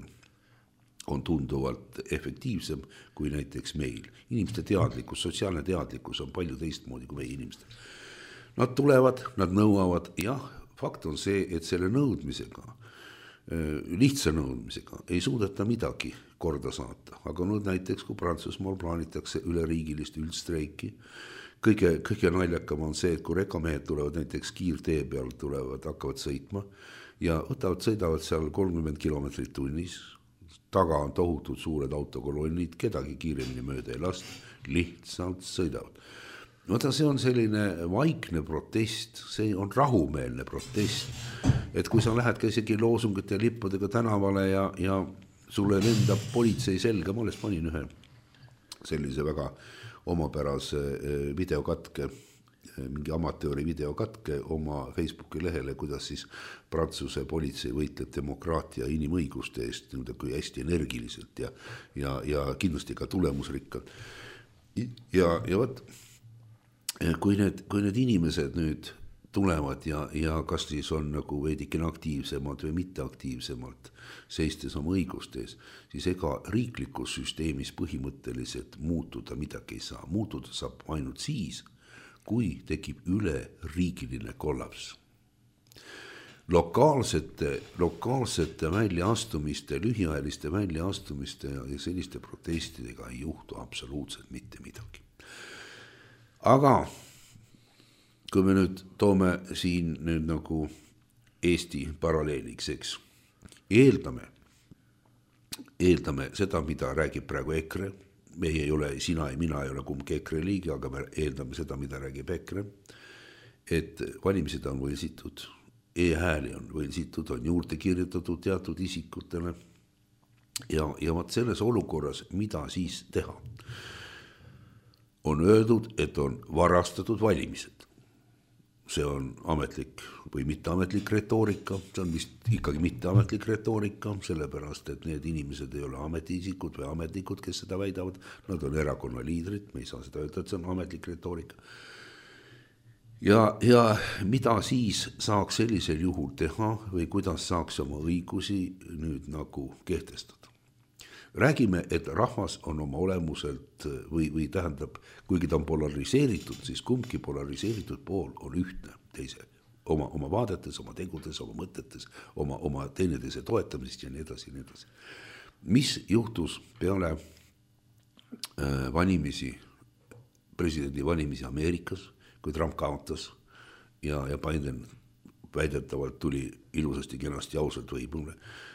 on tunduvalt efektiivsem kui näiteks meil. Inimeste teadlikkus, sotsiaalne teadlikkus on palju teistmoodi kui meie inimestel. Nad tulevad, nad nõuavad, jah, fakt on see, et selle nõudmisega, lihtsa nõudmisega ei suudeta midagi korda saata. Aga nüüd näiteks, kui Prantsusmaal plaanitakse üleriigilist üldstreiki, kõige naljakam on see, et kui rekamehed tulevad näiteks kiirtee peal, hakkavad sõitma ja sõidavad seal 30 kilomeetrit tunnis, taga on tohutud suured autokolonnid, kedagi kiiremini mööda ei lasta, lihtsalt sõidavad. Oota, see on selline vaikne protest, see on rahumeelne protest, et kui sa lähed ka isegi loosungite ja lippudega tänavale ja sulle lendab politsei selga, ma alles panin ühe sellise väga omapärase videokatke, mingi amatööri videokatke oma Facebooki lehele, kuidas siis Prantsuse politsei võitleb demokraatia inimõiguste eest kui hästi energiliselt ja kindlasti ka tulemusrikkalt. Ja võt, kui need inimesed nüüd tulevad ja kas siis on nagu veidikene aktiivsemalt või mitteaktiivsemalt seistes oma õiguste ees, siis ega riiklikus süsteemis põhimõtteliselt muutuda midagi ei saa. Muutuda saab ainult siis, kui tekib üleriigiline kollaps. Lokaalsete väljaastumiste, lühiajaliste väljaastumiste ja selliste protestidega ei juhtu absoluutselt mitte midagi. Aga kui me nüüd toome siin nüüd nagu Eesti paralleeliks, eks, eeldame seda, mida räägib praegu EKRE, meie ei ole, sina ja mina ei ole kumbki EKRE liige, aga me eeldame seda, mida räägib EKRE, et valimised on võlsitud, e-hääli on võlsitud, on juurde kirjutatud teatud isikutele ja vaat selles olukorras, mida siis teha? On öeldud, et on varastatud valimised. See on ametlik või mitteametlik retoorika, see on vist ikkagi mitteametlik retoorika, sellepärast, et need inimesed ei ole ametiisikud või ametnikud, kes seda väidavad, nad on erakonna liidrid, me ei saa seda öelda, et see on ametlik retoorika. Ja mida siis saaks sellisel juhul teha või kuidas saaks oma õigusi nüüd nagu kehtestada? Räägime, et rahvas on oma olemuselt või tähendab, kuigi ta on polariseeritud, siis kumbki polariseeritud pool on ühtne teise oma vaadetes, oma tegudes, oma mõtetes, oma teineteise toetamisest ja nii edasi, ja nii edasi. Mis juhtus peale presidendi valimisi Ameerikas, kui Trump kaotas ja Biden väidetavalt tuli ilusasti, kenasti, ausalt võimule,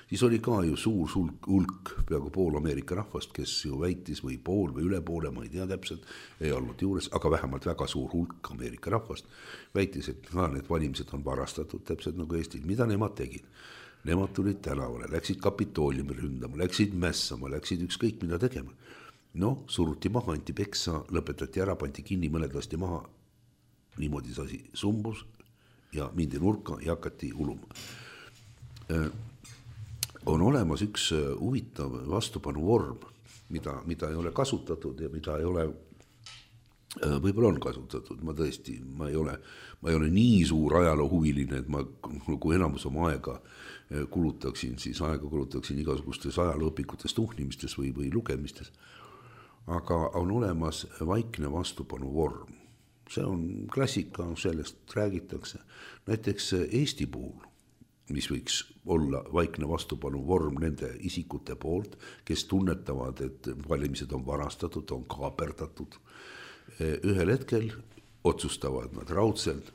siis oli ka ju suur hulk, peaaegu pool Ameerika rahvast, kes ju väitis või pool või üle poole, ma ei tea täpselt, ei olnud juures, aga vähemalt väga suur hulk Ameerika rahvast väitis, et need valimised on varastatud täpselt nagu Eestil. Mida nemad tegid? Nemad tulid tänavale, läksid Kapitooliumi ründama, läksid mässama, läksid ükskõik mida tegema. No, suruti maha, anti peksa, lõpetati ära, pandi kinni, mõned lasti maha, niimoodi see asi sumbus ja mindi nurka ja hakati uluma. On olemas üks huvitav vastupanu vorm, mida ei ole kasutatud ja mida ei ole, võib-olla on kasutatud, ma ei ole nii suur ajaloohuviline, et ma kui enamus oma aega kulutaksin igasugustes ajalooõpikutes tuhnimistes või lugemistes, aga on olemas vaikne vastupanu vorm. See on klassika, sellest räägitakse. Näiteks Eesti puhul, mis võiks olla vaikne vastupanu vorm nende isikute poolt, kes tunnetavad, et valimised on varastatud, on kaaperdatud. Ühel hetkel otsustavad nad raudselt,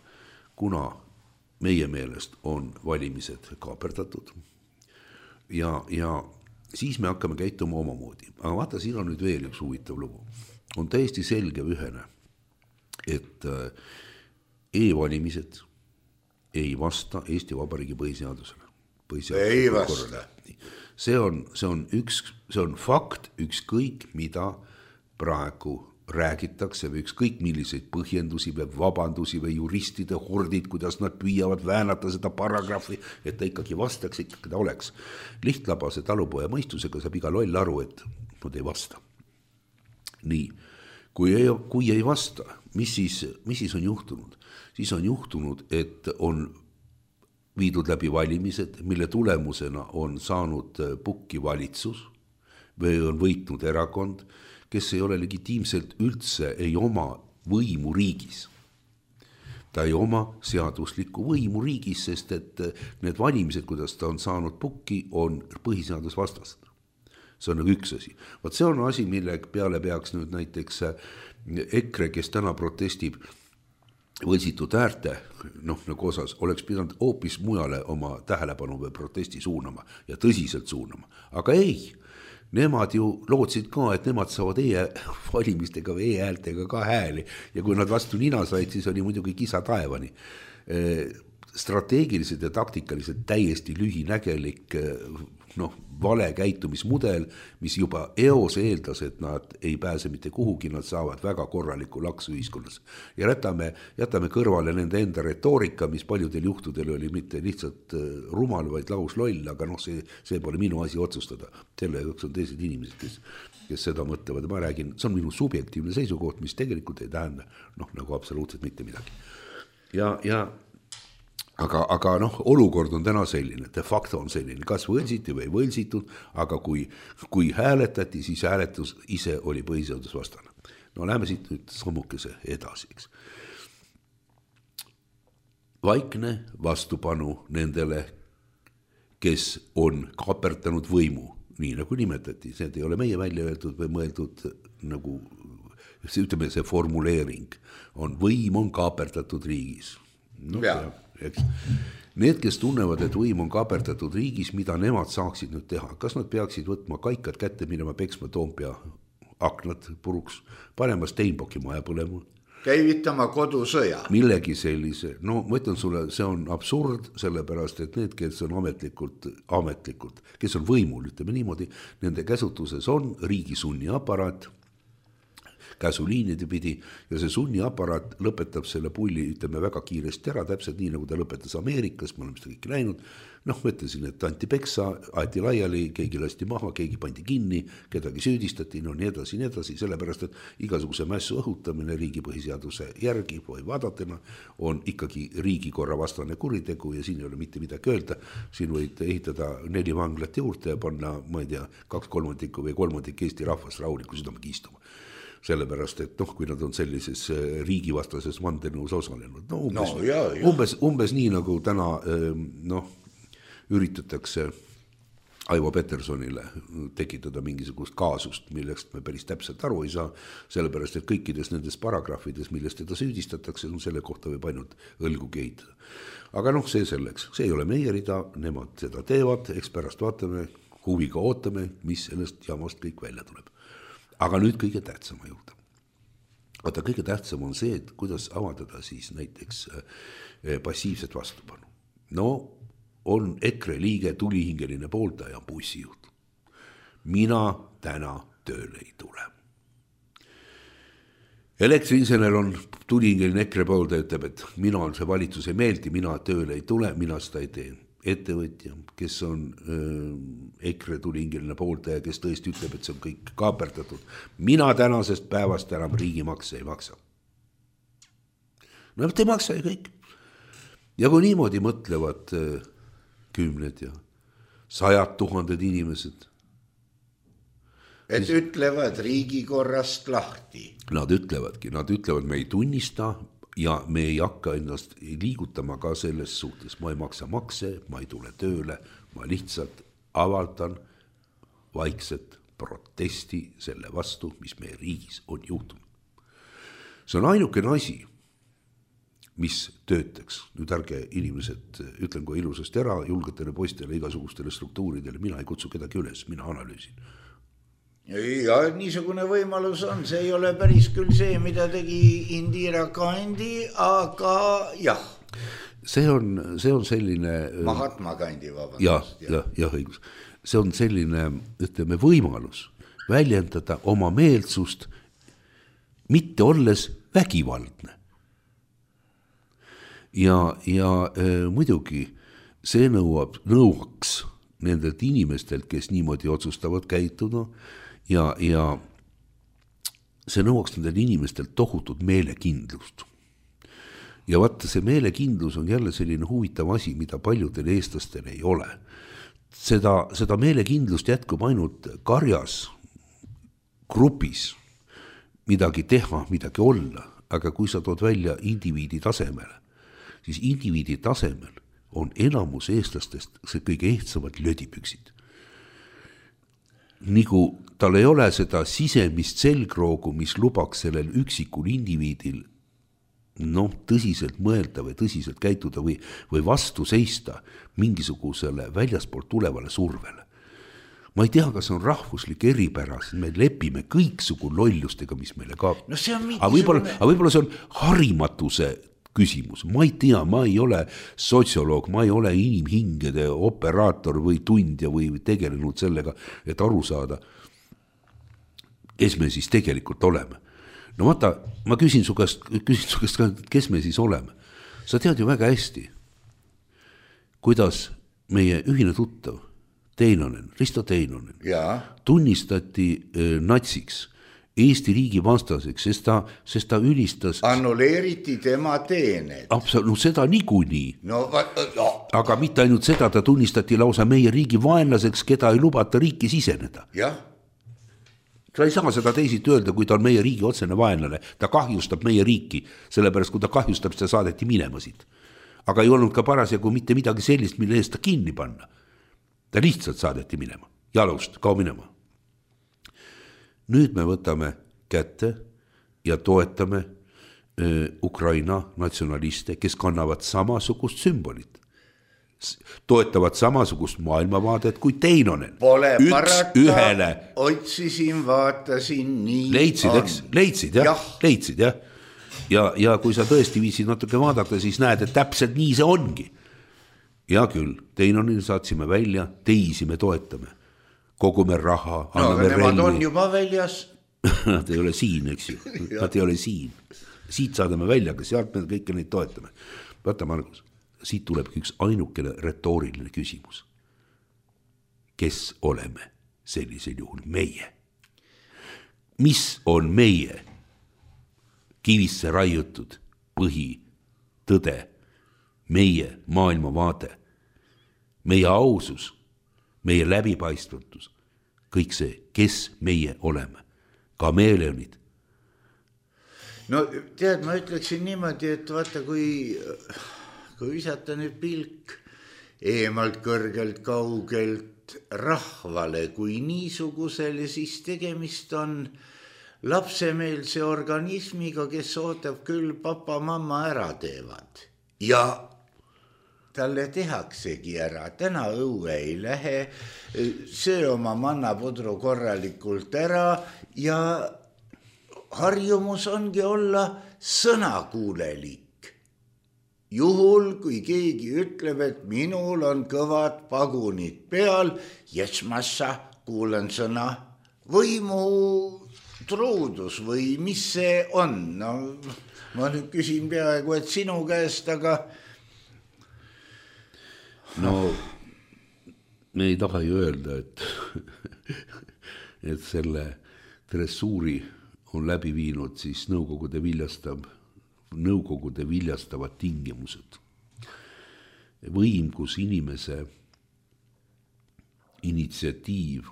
kuna meie meelest on valimised kaaperdatud ja siis me hakkame käituma omamoodi. Aga vaata, siin on nüüd veel üks huvitav lugu. On täiesti selge ühene, et e-valimised ei vasta Eesti Vabariigi põhiseadusele. Ei vasta. See on fakt, ükskõik mida praegu räägitakse või ükskõik milliseid põhjendusi või vabandusi või juristide hordid, kuidas nad püüavad väänata seda paragrahvi, et ta ikkagi vastaks, ikkagi ta oleks. Lihtlabase talupoja mõistusega saab iga loll aru, et nad ei vasta. Nii, kui ei vasta, mis siis on juhtunud? Siis on juhtunud, et on viidud läbi valimised, mille tulemusena on saanud pukki valitsus või on võitnud erakond, kes ei ole legitiimselt üldse, ei oma võimu riigis. Ta ei oma seaduslikku võimu riigis, sest et need valimised, kuidas ta on saanud pukki, on põhiseadusvastased. See on nagu üks asi. Vaat see on asi, mille peale peaks nüüd näiteks EKRE, kes täna protestib võlsitud äärte, nagu osas, oleks pidanud hoopis mujale oma tähelepanu või protesti suunama ja tõsiselt suunama. Aga ei, nemad ju lootsid ka, et nemad saavad e-valimistega või e-häältega ka hääli ja kui nad vastu nina said, siis oli muidugi kisa taevani. Strateegiliselt ja taktikaliselt täiesti lühinägelik vale käitumismudel, mis juba eos eeldas, et nad ei pääse mitte kuhugi, nad saavad väga korraliku laksu ühiskonnas. Ja jätame kõrvale nende enda retoorika, mis paljudel juhtudel oli mitte lihtsalt rumal, vaid lausloll, aga see pole minu asi otsustada. Selle jaoks on teised inimesed, kes seda mõtlevad. Ma räägin, see on minu subjektiivne seisukoht, mis tegelikult ei tähenda nagu absoluutselt mitte midagi. Aga olukord on täna selline, de facto on selline, kas võlsiti või ei võlsitud, aga kui hääletati, siis hääletus ise oli põhiseadusvastane. Läheme siit nüüd sammukese edasi. Vaikne vastupanu nendele, kes on kaaperdanud võimu, nii nagu nimetati, see ei ole meie välja öeldud või mõeldud nagu, ütleme see formuleering, võim on kaaperdatud riigis. Need, kes tunnevad, et võim on kaaperdatud riigis, mida nemad saaksid nüüd teha, kas nad peaksid võtma kaikad kätte, minema peksma Toompea aknad puruks, panema Steinbocki maja põlema käivitama kodusõja. Millegi sellise, no ma ütlen sulle, see on absurd, sellepärast, et need, kes on ametlikult, kes on võimul, ütleme niimoodi, nende käsutuses on riigi sunniaparaat, käsuliinide pidi ja see sunniaparaat lõpetab selle pulli, ütleme väga kiiresti ära, täpselt nii, nagu ta lõpetas Ameerikas, me oleme seda kõike näinud, noh, mõtlesin, et anti peksa, aeti laiali, keegi lasti maha, keegi pandi kinni, kedagi süüdistati, no nii edasi, sellepärast, et igasuguse mässu õhutamine riigi põhiseaduse järgi või vaadatena on ikkagi riigikorra vastane kuritegu ja siin ei ole mitte midagi öelda, siin võid ehitada 4 vanglat juurde ja panna, ma ei tea, 2/3 või 1/3 Eesti rahvast rahuliku südamega istuma. Sellepärast, et noh, kui nad on sellises riigivastases vandenõus osalenud, no umbes nii, nagu täna üritatakse Aivo Petersonile tekitada mingisugust kaasust, millest me päris täpselt aru ei saa, sellepärast, et kõikides nendes paragrahvides, millest teda süüdistatakse, selle kohta võib ainult õlgu kehitada. Aga noh, see selleks, see ei ole meie rida, nemad seda teevad, eks pärast vaatame, huviga ootame, mis sellest jamast kõik välja tuleb. Aga nüüd kõige tähtsama juurde. Vaata, kõige tähtsam on see, et kuidas avaldada siis näiteks passiivset vastupanu. No, on EKRE liige, tulihingeline pooldaja, bussijuht. Mina täna tööle ei tule. Elektriinsener on tulihingeline EKRE pooldaja, ütleb, et mina on see valitsus ei meeldi, mina tööle ei tule, mina seda ei tee. Ettevõtja, kes on EKRE tulihingeline pooldaja, kes tõesti ütleb, et see on kõik kaaperdatud. Mina tänasest päevast enam riigimakse ei maksa. No te ei maksa ju kõik. Ja kui niimoodi mõtlevad 10 ja 100 000 inimesed. Et ütlevad riigikorrast lahti. Nad ütlevadki, me ei tunnista ja me ei hakka ennast liigutama ka selles suhtes. Ma ei maksa makse, ma ei tule tööle, ma lihtsalt avaldan vaikset protesti selle vastu, mis meie riigis on juhtunud. See on ainukene asi, mis töötaks. Nüüd ärge inimesed, ütlen kui ilusasti ära, julgetele poistele, igasugustele struktuuridele, mina ei kutsu kedagi üles, mina analüüsin. Ja niisugune võimalus on, see ei ole päris küll see, mida tegi Indira Gandhi, aga jah. See on selline... Mahatma Gandhi, vabandust. Jah, õigus. See on selline, ütleme, võimalus väljendada oma meelsust, mitte olles vägivaldne. Ja muidugi see nõuaks nendelt inimestelt, kes niimoodi otsustavad käituda ja see nõuaks nendel inimestelt tohutut meelekindlust. Ja vaata, see meelekindlus on jälle selline huvitav asi, mida paljudel eestlastel ei ole. Seda meelekindlust jätkub ainult karjas, grupis, midagi teha, midagi olla, aga kui sa tood välja indiviidi tasemele, siis indiviidi tasemel on enamus eestlastest see kõige ehtsamad lödipüksid. Nagu tal ei ole seda sisemist selgroogu, mis lubaks sellel üksikul indiviidil tõsiselt mõelda või tõsiselt käituda või vastu seista mingisugusele väljaspoolt tulevale survele. Ma ei tea, kas on rahvuslik eripära, sest me lepime kõiksugu lollustega, mis meile kaab. No see on aga võib-olla see on harimatuse küsimus. Ma ei tea, ma ei ole sotsioloog, ma ei ole inimhingede operaator või tundja või tegelenud sellega, et aru saada, kes me siis tegelikult oleme. No vaata, ma küsin su käest, kes me siis oleme. Sa tead ju väga hästi, kuidas meie ühine tuttav Teinonen, Risto Teinonen tunnistati natsiks, Eesti riigi vastaseks, sest ta ülistas... Annuleeriti tema teened. Absoluut, seda niikuinii. Aga mitte ainult seda, ta tunnistati lausa meie riigi vaenlaseks, keda ei lubata riiki siseneda. Jah. Sa ei saa seda teisiti öelda, kui ta on meie riigi otsene vaenlane. Ta kahjustab meie riiki, sellepärast kui ta kahjustab, seda saadeti minema siit. Aga ei olnud ka parasjagu mitte midagi sellist, mille eest ta kinni panna. Ta lihtsalt saadeti minema. Jalust, kao minema. Nüüd me võtame kätte ja toetame Ukraina natsionaliste, kes kannavad samasugust sümbolit. Toetavad samasugust maailmavaadet kui Teinonen. Pole parata, otsisin, vaatasin nii. Leidsid, jah. ja kui sa tõesti viitsid natuke vaadata, siis näed, et täpselt nii see ongi. Ja küll, Teinonil saatsime välja, teisi me toetame. Kogume raha, anname relvi. Nemad on juba väljas. Nad ei ole siin, eks ju. Nad ei ole siin. Siit saadame välja, aga sealt me kõike neid toetame. Vaata, Margus, siit tuleb üks ainukene retooriline küsimus. Kes oleme sellisel juhul meie? Mis on meie kivisse raiutud põhi, tõde, meie maailmavaade, meie ausus, meie läbipaistvatus, kõik see, kes meie oleme, kameeleonid. No tead, ma ütleksin niimoodi, et vaata, kui visata nüüd pilk eemalt kõrgelt kaugelt rahvale kui niisugusele, siis tegemist on lapsemeelse organismiga, kes ootab küll papa-mamma ära teevad. Ja talle tehaksegi ära, täna õue ei lähe, söö oma mannapudru korralikult ära ja harjumus ongi olla sõnakuulelik. Juhul, kui keegi ütleb, et minul on kõvad pagunid peal, massa kuulen sõna võimu truudus või mis see on. No, ma nüüd küsin peaaegu, et sinu käest, aga... No, me ei taha ju öelda, et selle dressuuri on läbi viinud siis nõukogude viljastavad tingimused. Võim, kus inimese initsiatiiv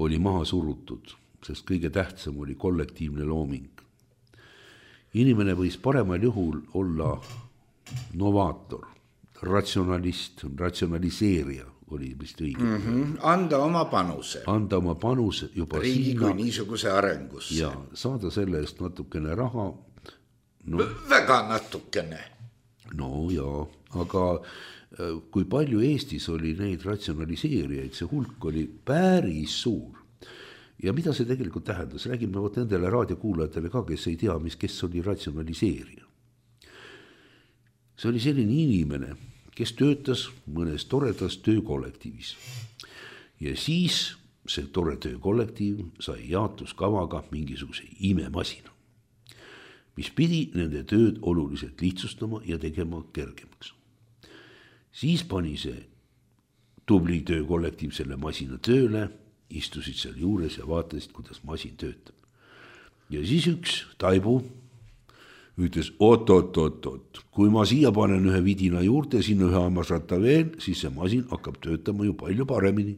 oli maha surutud, sest kõige tähtsam oli kollektiivne looming. Inimene võis paremal juhul olla novaator, ratsionalist, ratsionaliseerija oli vist õige. Anda oma panuse. Anda oma panuse juba riigi kui niisuguse arengusse. Ja saada selle eest natukene raha. No, väga natukene. No jaa, aga kui palju Eestis oli neid ratsionaliseerijaid, see hulk oli päris suur. Ja mida see tegelikult tähendas? Räägime nendele raadiokuulajatele ka, kes ei tea, kes oli ratsionaliseerija. See oli selline inimene, kes töötas mõnes toredas töökollektiivis. Ja siis see tore töökollektiiv sai jaotuskavaga mingisuguse imemasina, mis pidi nende tööd oluliselt lihtsustama ja tegema kergemaks. Siis pani see tubli töökollektiiv selle masina tööle, istusid seal juures ja vaatasid, kuidas masin töötab. Ja siis üks taibu ütles, oot, kui ma siia panen ühe vidina juurde, sinna ühe hammasratta veel, siis see masin hakkab töötama ju palju paremini.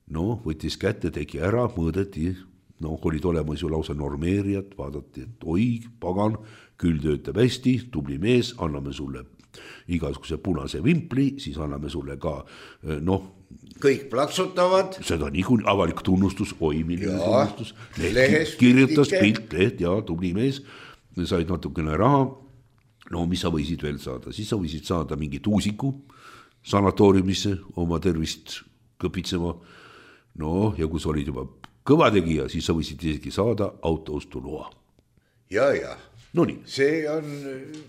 No, võttis kätte, tegi ära, mõõdeti, olid olemas ju lausa normeerijad, vaadati, et oi, pagan, küll töötab hästi, tubli mees, anname sulle igasuguse punase vimpli, siis anname sulle ka, kõik plaksutavad. Seda niikuinii avalik tunnustus, oi, milline tunnustus. Kirjutas pilt, leht ja tubli mees, said natukene raha. No, mis sa võisid veel saada? Siis sa võisid saada mingi tuusiku sanatooriumisse oma tervist kõpitsema. No, ja kui sa olid juba kõva tegija, siis sa võisid isegi saada autoostuloa. Ja. No nii. See on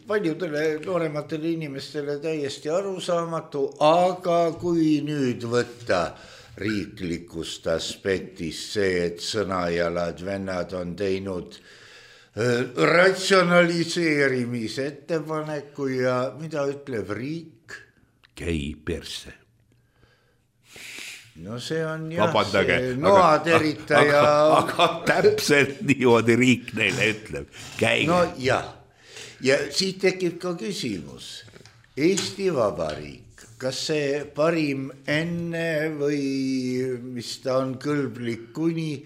paljudele noorematele inimestele täiesti arusaamatu, aga kui nüüd võtta riiklikust aspektist see, et sõnajalad vennad on teinud ratsionaliseerimise ettepaneku ja mida ütleb riik? Käi perse. No see on vabandage, see noateritaja. Aga täpselt niimoodi riik neile ütleb. Käige. No ja siit tekib ka küsimus. Eesti Vabariik, kas see parim enne või mis ta on kõlblik kuni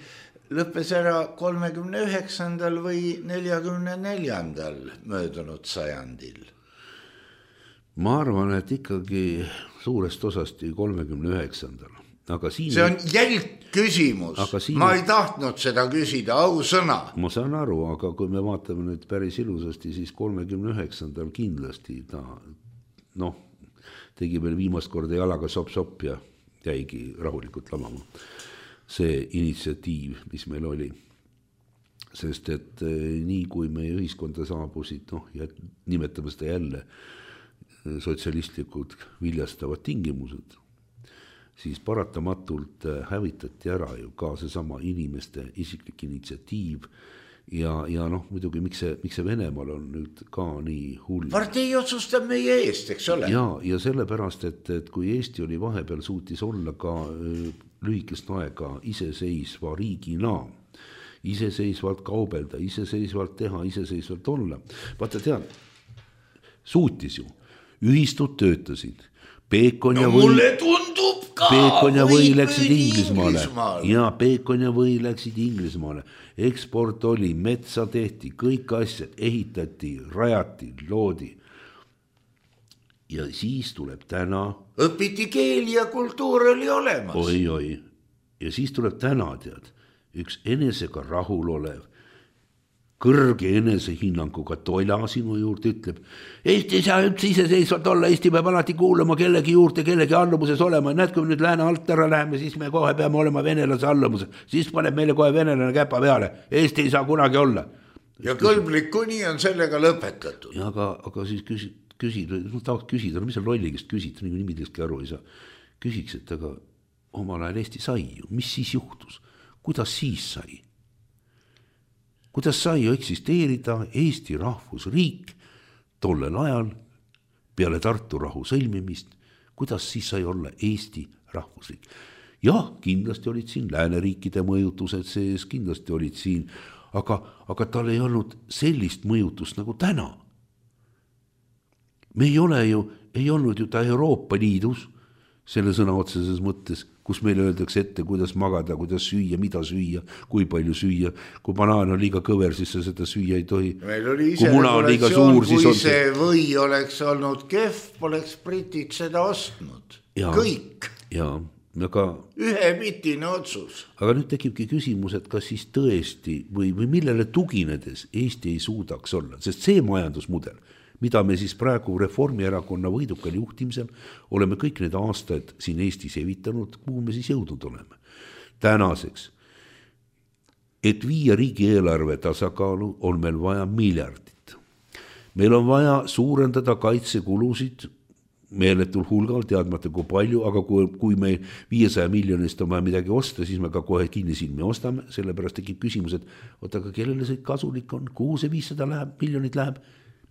lõppes ära 39. või 44. möödunud sajandil? Ma arvan, et ikkagi suurest osasti 39. Aga siin see on jälg küsimus. Ma ei tahtnud seda küsida, ausõna. Ma saan aru, aga kui me vaatame nüüd päris ilusasti, siis 39. kindlasti ta tegi veel viimast korda jalaga sopp ja jäigi rahulikult lamama. See initsiatiiv, mis meil oli. sest et nii kui meie ühiskonda saabusid, ja nimetame seda jälle sotsialistlikud viljastavad tingimused, siis paratamatult hävitati ära ju ka seesama inimeste isiklik initsiatiiv ja muidugi miks see Venemaal on nüüd ka nii hull. Partei otsustab meie eest, eks ole. Ja sellepärast, et kui Eesti oli vahepeal suutis olla ka lühikest aega iseseisva riigina, iseseisvalt kaubelda, iseseisvalt teha, iseseisvalt olla. Vaata tead, suutis ju, ühistud töötasid, Peekon ja mulle tundub ka, Peekon ja või läksid Inglismaale. Ja Peekon ja või läksid Inglismaale. Eksport oli, metsa tehti, kõik asjad ehitati, rajati, loodi. Ja siis tuleb täna. Õpiti keeli ja kultuur oli olemas. Oi. Ja siis tuleb täna, tead, üks enesega rahul olev, kõrge enesehinnanguga toila sinu juurde ütleb, Eesti ei saa üldse iseseisvalt olla, Eesti peab alati kuulama kellegi juurde, kellegi allumuses olema. Näed, kui me nüüd lääne alt ära läheme, siis me kohe peame olema venelase allumuses. Siis paneb meile kohe venelane käpa peale. Eesti ei saa kunagi olla. Ja kõlblik kuni on sellega lõpetatud. Ja aga siis tahaks küsida, mis on lolligest küsida, nii kui nimidestki aru ei saa. Küsiks, et aga omal ajal Eesti sai ju, mis siis juhtus? Kuidas siis sai? Kuidas sai ju eksisteerida Eesti rahvusriik tollel ajal peale Tartu rahu sõlmimist? Kuidas siis sai olla Eesti rahvusriik? Jah, kindlasti olid siin lääneriikide mõjutused sees, kindlasti olid siin, aga tal ei olnud sellist mõjutust nagu täna. Me ei olnud ju ta Euroopa Liidus, selle sõna otseses mõttes, kus meile öeldakse ette, kuidas magada, kuidas süüa, mida süüa, kui palju süüa. Kui banaan on liiga kõver, siis seda süüa ei tohi. Meil oli ise regulatsioon, kui see või oleks olnud kehv, poleks britid seda ostnud. Kõik. Ühepitine otsus. Aga nüüd tekibki küsimus, et kas siis tõesti või millele tuginedes Eesti ei suudaks olla, sest see majandusmudel, mida me siis praegu Reformierakonna võidukal juhtimisel oleme kõik need aastaid siin Eestis evitanud, kuhu me siis jõudnud oleme. Tänaseks, et viia riigieelarve tasakaalu, on meil vaja miljardit. Meil on vaja suurendada kaitsekulusid meeletul hulgal, teadmata kui palju, aga kui meil 500 miljonist on vaja midagi osta, siis me ka kohe kinni silmi ostame, sellepärast tekib küsimus, et aga kellele see kasulik on, kuhu see 500 miljonit läheb?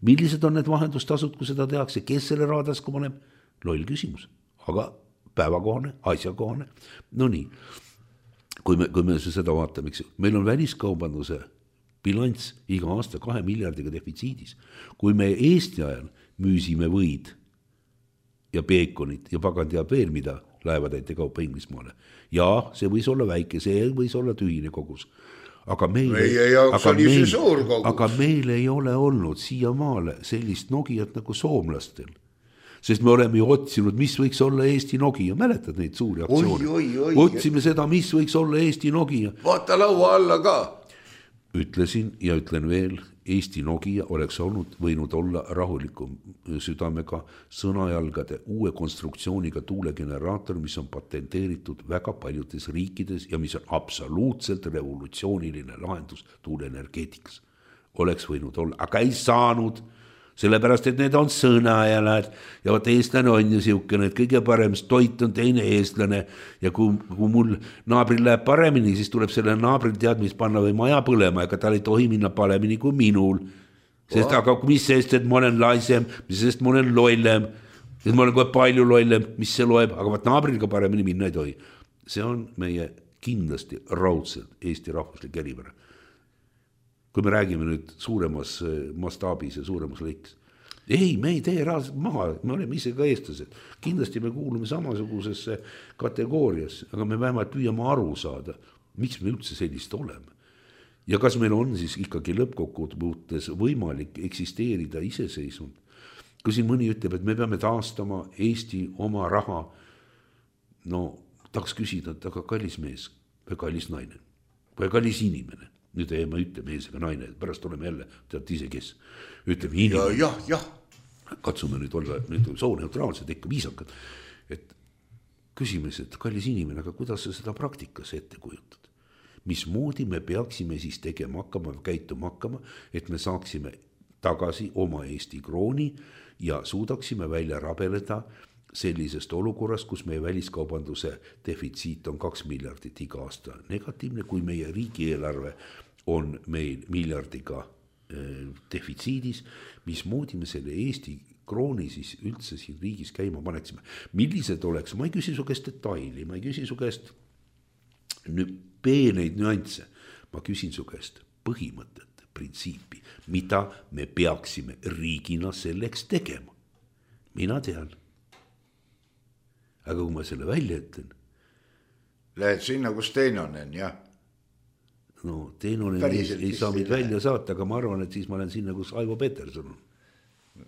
Millised on need vahendustasud, kui seda tehakse, kes selle raadaska paneb? Loll küsimus, aga päevakohane, asjakohane. No nii, kui me seda vaatame, meil on väliskaubanduse bilanss iga aasta 2 miljardiga defitsiidis. Kui me Eesti ajal müüsime võid ja peekonit ja pagan teab veel mida laevatäite kaupa Inglismaale. Ja see võis olla väike, see võis olla tühine kogus. Aga meil ei ole olnud siiamaale sellist Nokiat nagu soomlastel. Sest me oleme ju otsinud, mis võiks olla Eesti Nokia. Mäletad neid suuri aktsioone? Otsime seda, mis võiks olla Eesti Nokia. Vaata laua alla ka. Ütlesin ja ütlen veel, Eesti Nokia oleks võinud olla rahulikum südamega sõnajalgade uue konstruktsiooniga tuulegeneraator, mis on patenteeritud väga paljudes riikides ja mis on absoluutselt revolutsiooniline lahendus tuuleenergeetikas. Oleks võinud olla, aga ei saanud, sellepärast, et need on sõnajalad ja vaat eestlane on ju siukene, et kõige parem toit on teine eestlane ja kui mul naabril läheb paremini, siis tuleb selle naabril teadmist panna või maja põlema, ega tal ei tohi minna paremini kui minul. Sest aga mis sest, et ma olen laisem, mis sest ma olen lollem, sest ma olen kohe palju lollem, mis see loeb, aga vaat naabril ka paremini minna ei tohi. See on meie kindlasti raudselt Eesti rahvuslik eripära. Kui me räägime nüüd suuremas mastaabis ja suuremas lõiks. Ei, me ei tee raadselt maha, me oleme ise ka eestlased. Kindlasti me kuulume samasugusesse kategooriasse, aga me vähemalt püüame aru saada, miks me üldse sellist oleme. Ja kas meil on siis ikkagi lõppkokkuvõttes võimalik eksisteerida iseseisvalt. Kui siin mõni ütleb, et me peame taastama Eesti oma raha, tahaks küsida, et aga kallis mees või kallis naine või kallis inimene. Nüüd ei ma ütle mees ega naine, pärast oleme jälle, tead ise kes, ütleme inimene. Ja. Katsume nüüd olla nüüd sooneutraalsed, ikka viisakad. Et küsime, et kallis inimene, aga kuidas sa seda praktikas ette kujutad? mismoodi me peaksime siis tegema hakkama, käituma hakkama, et me saaksime tagasi oma Eesti krooni ja suudaksime välja rabeleda sellisest olukorrast, kus meie väliskaubanduse defitsiit on 2 miljardit iga aasta negatiivne, kui meie riigieelarve on meil miljardiga defitsiidis, mismoodi me selle Eesti krooni siis üldse siin riigis käima paneksime. Millised oleks, ma ei küsi su käest detaili, ma ei küsi su käest peeneid nüansse, ma küsin su käest põhimõtet, printsiipi, mida me peaksime riigina selleks tegema. Mina tean. Aga kui ma selle välja ütlen. Lähed sinna, kus Teinonen, jah? No Teinonen ei saa meid välja saata, aga ma arvan, et siis ma olen sinna, kus Aivo Peterson on.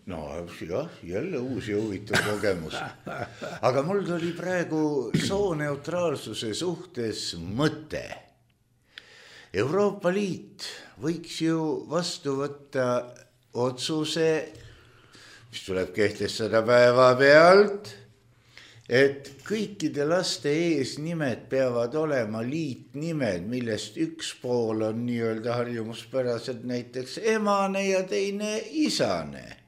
No jah, jälle uus ja huvitav kogemus. Aga mul tuli praegu sooneutraalsuse suhtes mõte. Euroopa Liit võiks ju vastu võtta otsuse, mis tuleb kehtestada päeva pealt, et kõikide laste eesnimed peavad olema liitnimed, millest üks pool on nii-öelda harjumuspäraselt näiteks emane ja teine isane.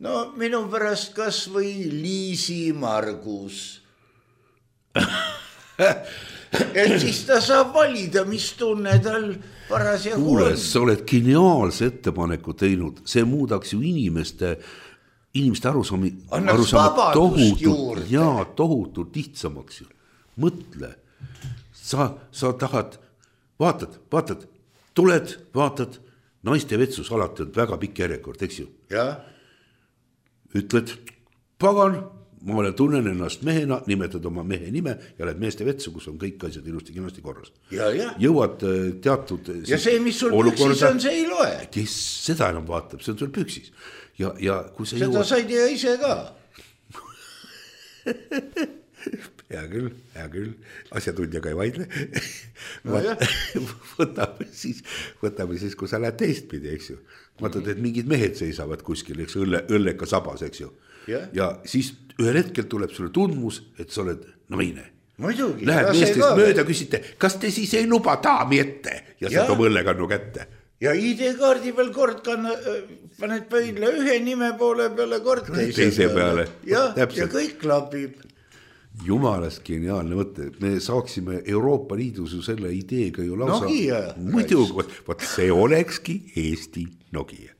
No minu pärast kas või Liisi Margus. Et siis ta saab valida, mis tunne tal parasjagu on. Kuule, sa oled geniaalse ettepaneku teinud, see muudaks ju inimeste arusaami tohutult lihtsamaks ju. Mõtle, sa tahad, vaatad, tuled, vaatad, naiste vetsus alati on väga pikk järjekord, eks ju? Ja? Ütled, pagan, ma tunnen ennast mehena, nimetad oma mehe nime ja lähed meeste vetsu, kus on kõik asjad ilusti korras. Ja. Jõuad teatud... Ja see, mis sul püksis on, see ei loe. Kes seda enam vaatab, see on sul püksis. Ja kui sa seda said ja ise ka. Hea küll, asjatundjaga ei vaidle. Võtame siis, kui sa lähed teistpidi, eks ju. Vaatad, et mingid mehed seisavad kuskil, eks õlleka sabas, eks ju. Ja siis ühel hetkel tuleb sulle tundmus, et sa oled naine. Muidugi. Lähed meestest mööda, küsite, kas te siis ei luba daami ette? Ja see toob õllekannu kätte. Ja ID-kaardi peal kord paned pöidle ühe nime poole peale, kord teise peale. Ja kõik klapib. Jumalast geniaalne mõte, me saaksime Euroopa Liidus ju selle ideega ju lausa... Nokia. Muidu, võt see olekski Eesti Nokia.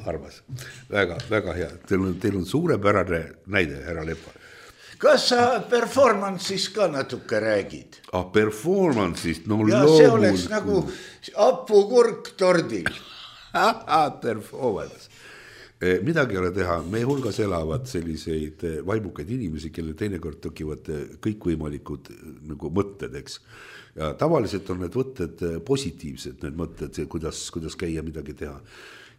Arvas, väga hea. Teil on suurepärane näide, härra Lepa. Kas sa performance'ist ka natuke räägid? Performance'ist, no ja loomulikult. See oleks nagu hapukurk tordil. Performance. Midagi ei ole teha, meie hulgas elavad selliseid vaimukaid inimesi, kelle teinekord tõkivad kõikvõimalikud nagu mõtted, eks. Ja tavaliselt on need mõtted positiivsed, need mõtted, kuidas käia midagi teha.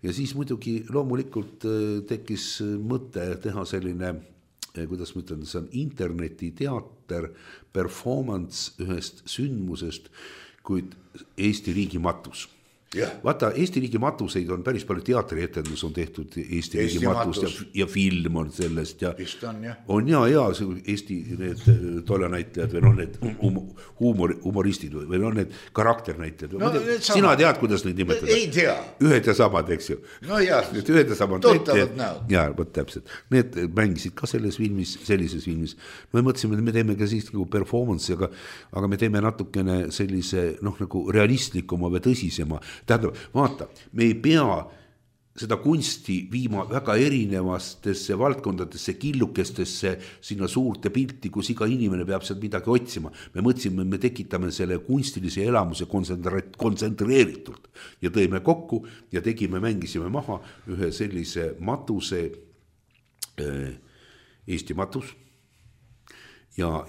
Ja siis muidugi loomulikult tekkis mõte teha selline, kuidas ma ütlen, see on internetiteater, performance ühest sündmusest, kuid Eesti riigi matus. Vaata, Eesti riigi matuseid on päris palju teatrietendus on tehtud Eesti riigi matust ja film on sellest ja on ja Eesti need tollenäitlejad või need humoristid või need karakternäitlejad. Sina tead, kuidas neid nimetada? Ei tea. Ühed ja samad, eks ju. No jah, ühed ja samad tuttavad näod. Jaa, võt täpselt. Need mängisid ka sellises filmis. Me mõtlesime, et me teeme ka siis nagu performance, aga me teeme natukene sellise nagu realistlikuma või tõsisema. Tähendab, vaata, me ei pea seda kunsti viima väga erinevastesse valdkondadesse, killukestesse, sinna suurte pilti, kus iga inimene peab sealt midagi otsima. Me mõtlesime, me tekitame selle kunstilise elamuse kontsentreeritult ja tõime kokku ja mängisime maha ühe sellise matuse, Eesti matus. Ja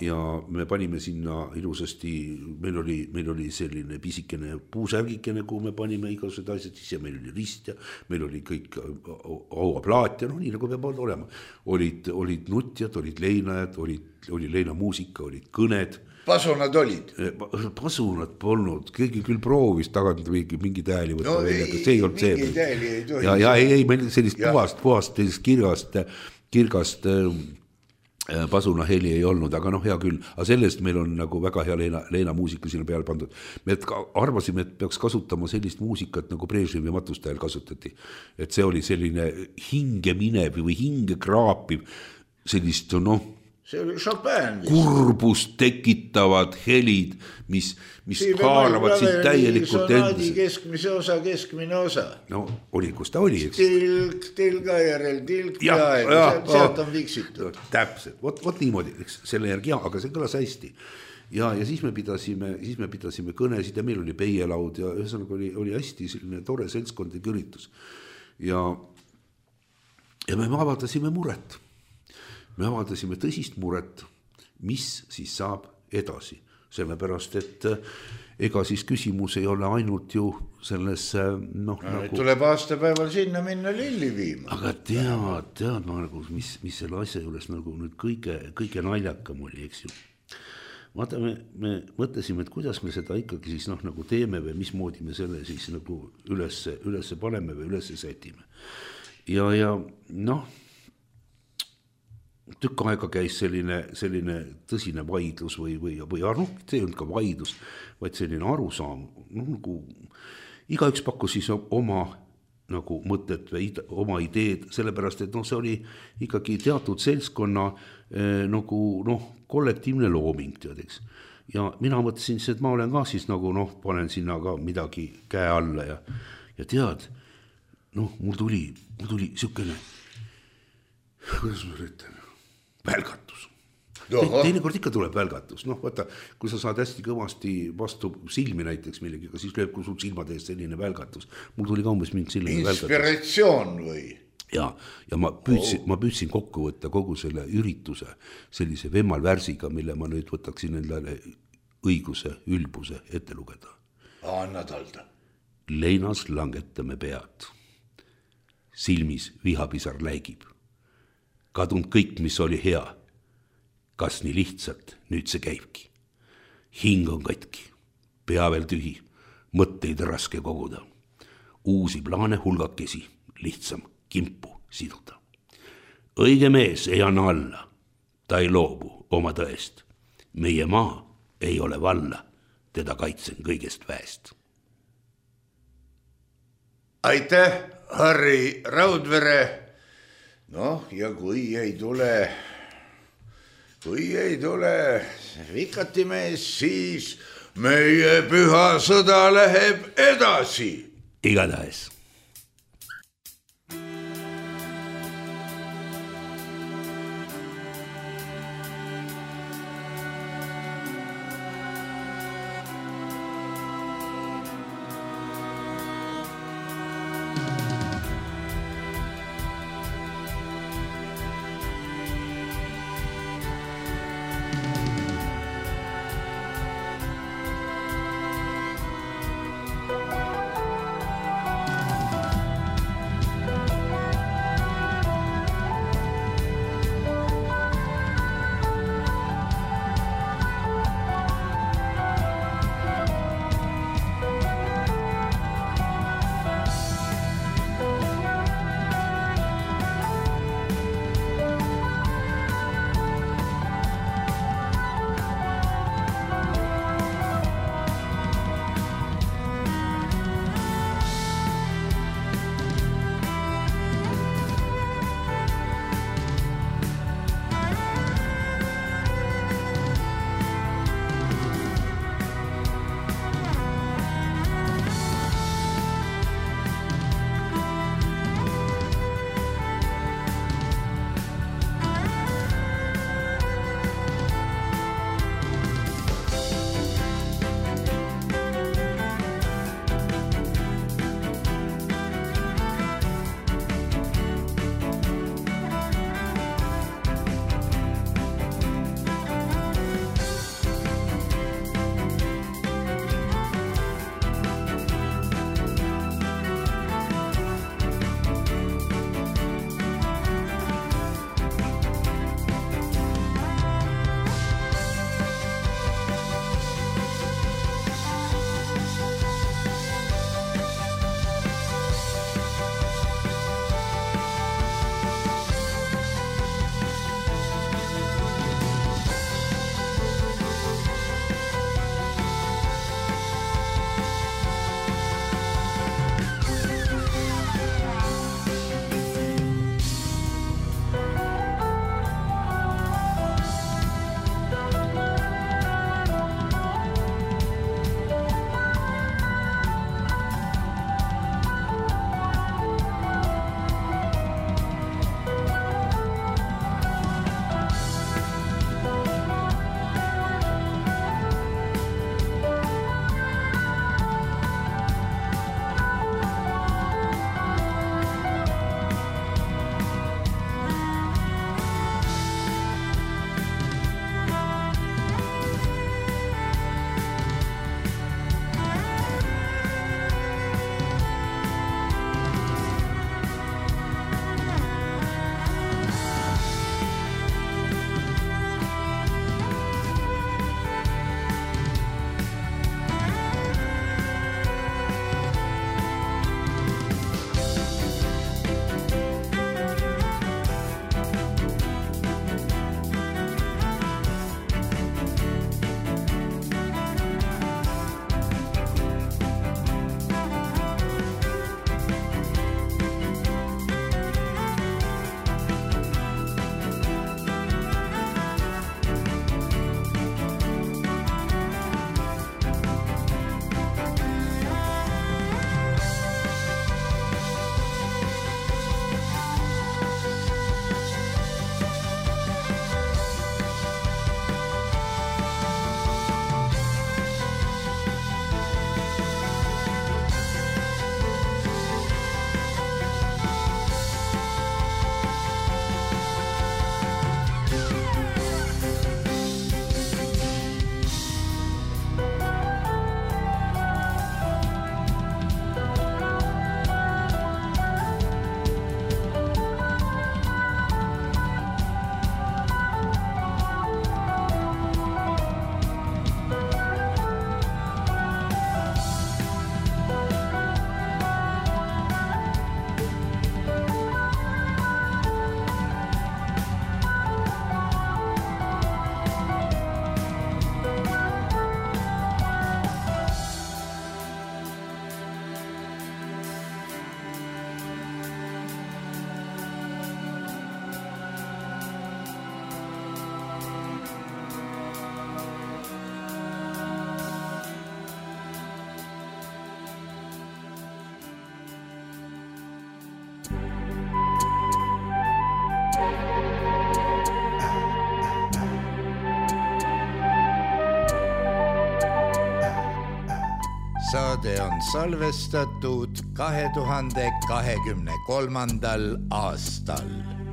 me panime sinna ilusasti, meil oli selline pisikene puusärgikene, kuhu me panime igasugused asjad sisse, meil oli rist ja meil oli kõik auaplaat ja nii nagu peab olema. Olid nutjad, olid leinajad, oli leinamuusika, olid kõned. Pasunad olid? Pasunad polnud, keegi küll proovis tagant mingi tääli võtta välja, aga see ei olnud see. Mingi tääli ei tohi. Ja ei, meil sellist puhast kirgast pasuna heli ei olnud, aga noh, hea küll, aga sellest meil on nagu väga hea Leena muusika sinna peale pandud. Me arvasime, et peaks kasutama sellist muusikat, nagu Brežnevi matustajal kasutati. Et see oli selline hinge minev või hinge kraapiv, sellist, noh, see oli Chopin. Kurbust tekitavad helid, mis haaravad sind täielikult endasse. Keskmise osa, keskmine osa. No oli, kus ta oli, eks? Tilk, tilga järel, tilk ja sealt on viksitud. Täpselt, vot niimoodi, eks, selle järgi, aga see kõlas hästi. Ja siis me pidasime kõnesid ja meil oli peielaud ja ühesõnaga oli hästi selline tore seltskondlik üritus. Ja me avaldasime muret. Me avaldasime tõsist muret, mis siis saab edasi. Sellepärast, et ega siis küsimus ei ole ainult ju selles, noh, nagu... Tuleb aastapäeval sinna minna lilli viima. Aga tead nagu, mis selle asja juures nagu nüüd kõige naljakam oli, eks ju. Vaata, me mõtlesime, et kuidas me seda ikkagi siis noh, nagu teeme või mismoodi me selle siis nagu üles paneme või üles sätime. Ja noh, tükk aega käis selline tõsine vaidlus või noh, see on ka vaidlus, vaid selline arusaam, noh, nagu igaüks pakkus siis oma nagu mõtet või oma ideed, sellepärast, et noh, see oli ikkagi teatud seltskonna nagu noh, kollektiivne looming, teadeks. Ja mina mõtlesin, et ma olen ka siis nagu noh, panen sinna ka midagi käe alla ja tead, noh, mul tuli siukene, kuidas ma ütlen, välgatus. Teinekord ikka tuleb välgatus. Noh, vaata, kui sa saad hästi kõvasti vastu silmi näiteks millegiga, siis lööb kui sul silmade eest selline välgatus. Mul tuli ka umbes mingi selline välgatus. Inspiratsioon või? Ja ma püüdsin kokku võtta kogu selle ürituse sellise vemmal värsiga, mille ma nüüd võtaksin endale õiguse, ülbuse ette lugeda. Anna talda. Leinas langetame pead. Silmis vihapisar läigib. Kadunud kõik, mis oli hea. Kas nii lihtsalt, nüüd see käibki. Hing on katki, pea veel tühi, mõtteid raske koguda. Uusi plaane hulgakesi, lihtsam kimpu siduda. Õige mees ei anna alla, ta ei loobu oma tõest. Meie maa ei ole valla, teda kaitsen kõigest väest. Aitäh, Harri Raudvere. Noh, ja kui ei tule Vikati mees, siis meie püha sõda läheb edasi. Igatahes. saade on salvestatud 2023. aastal.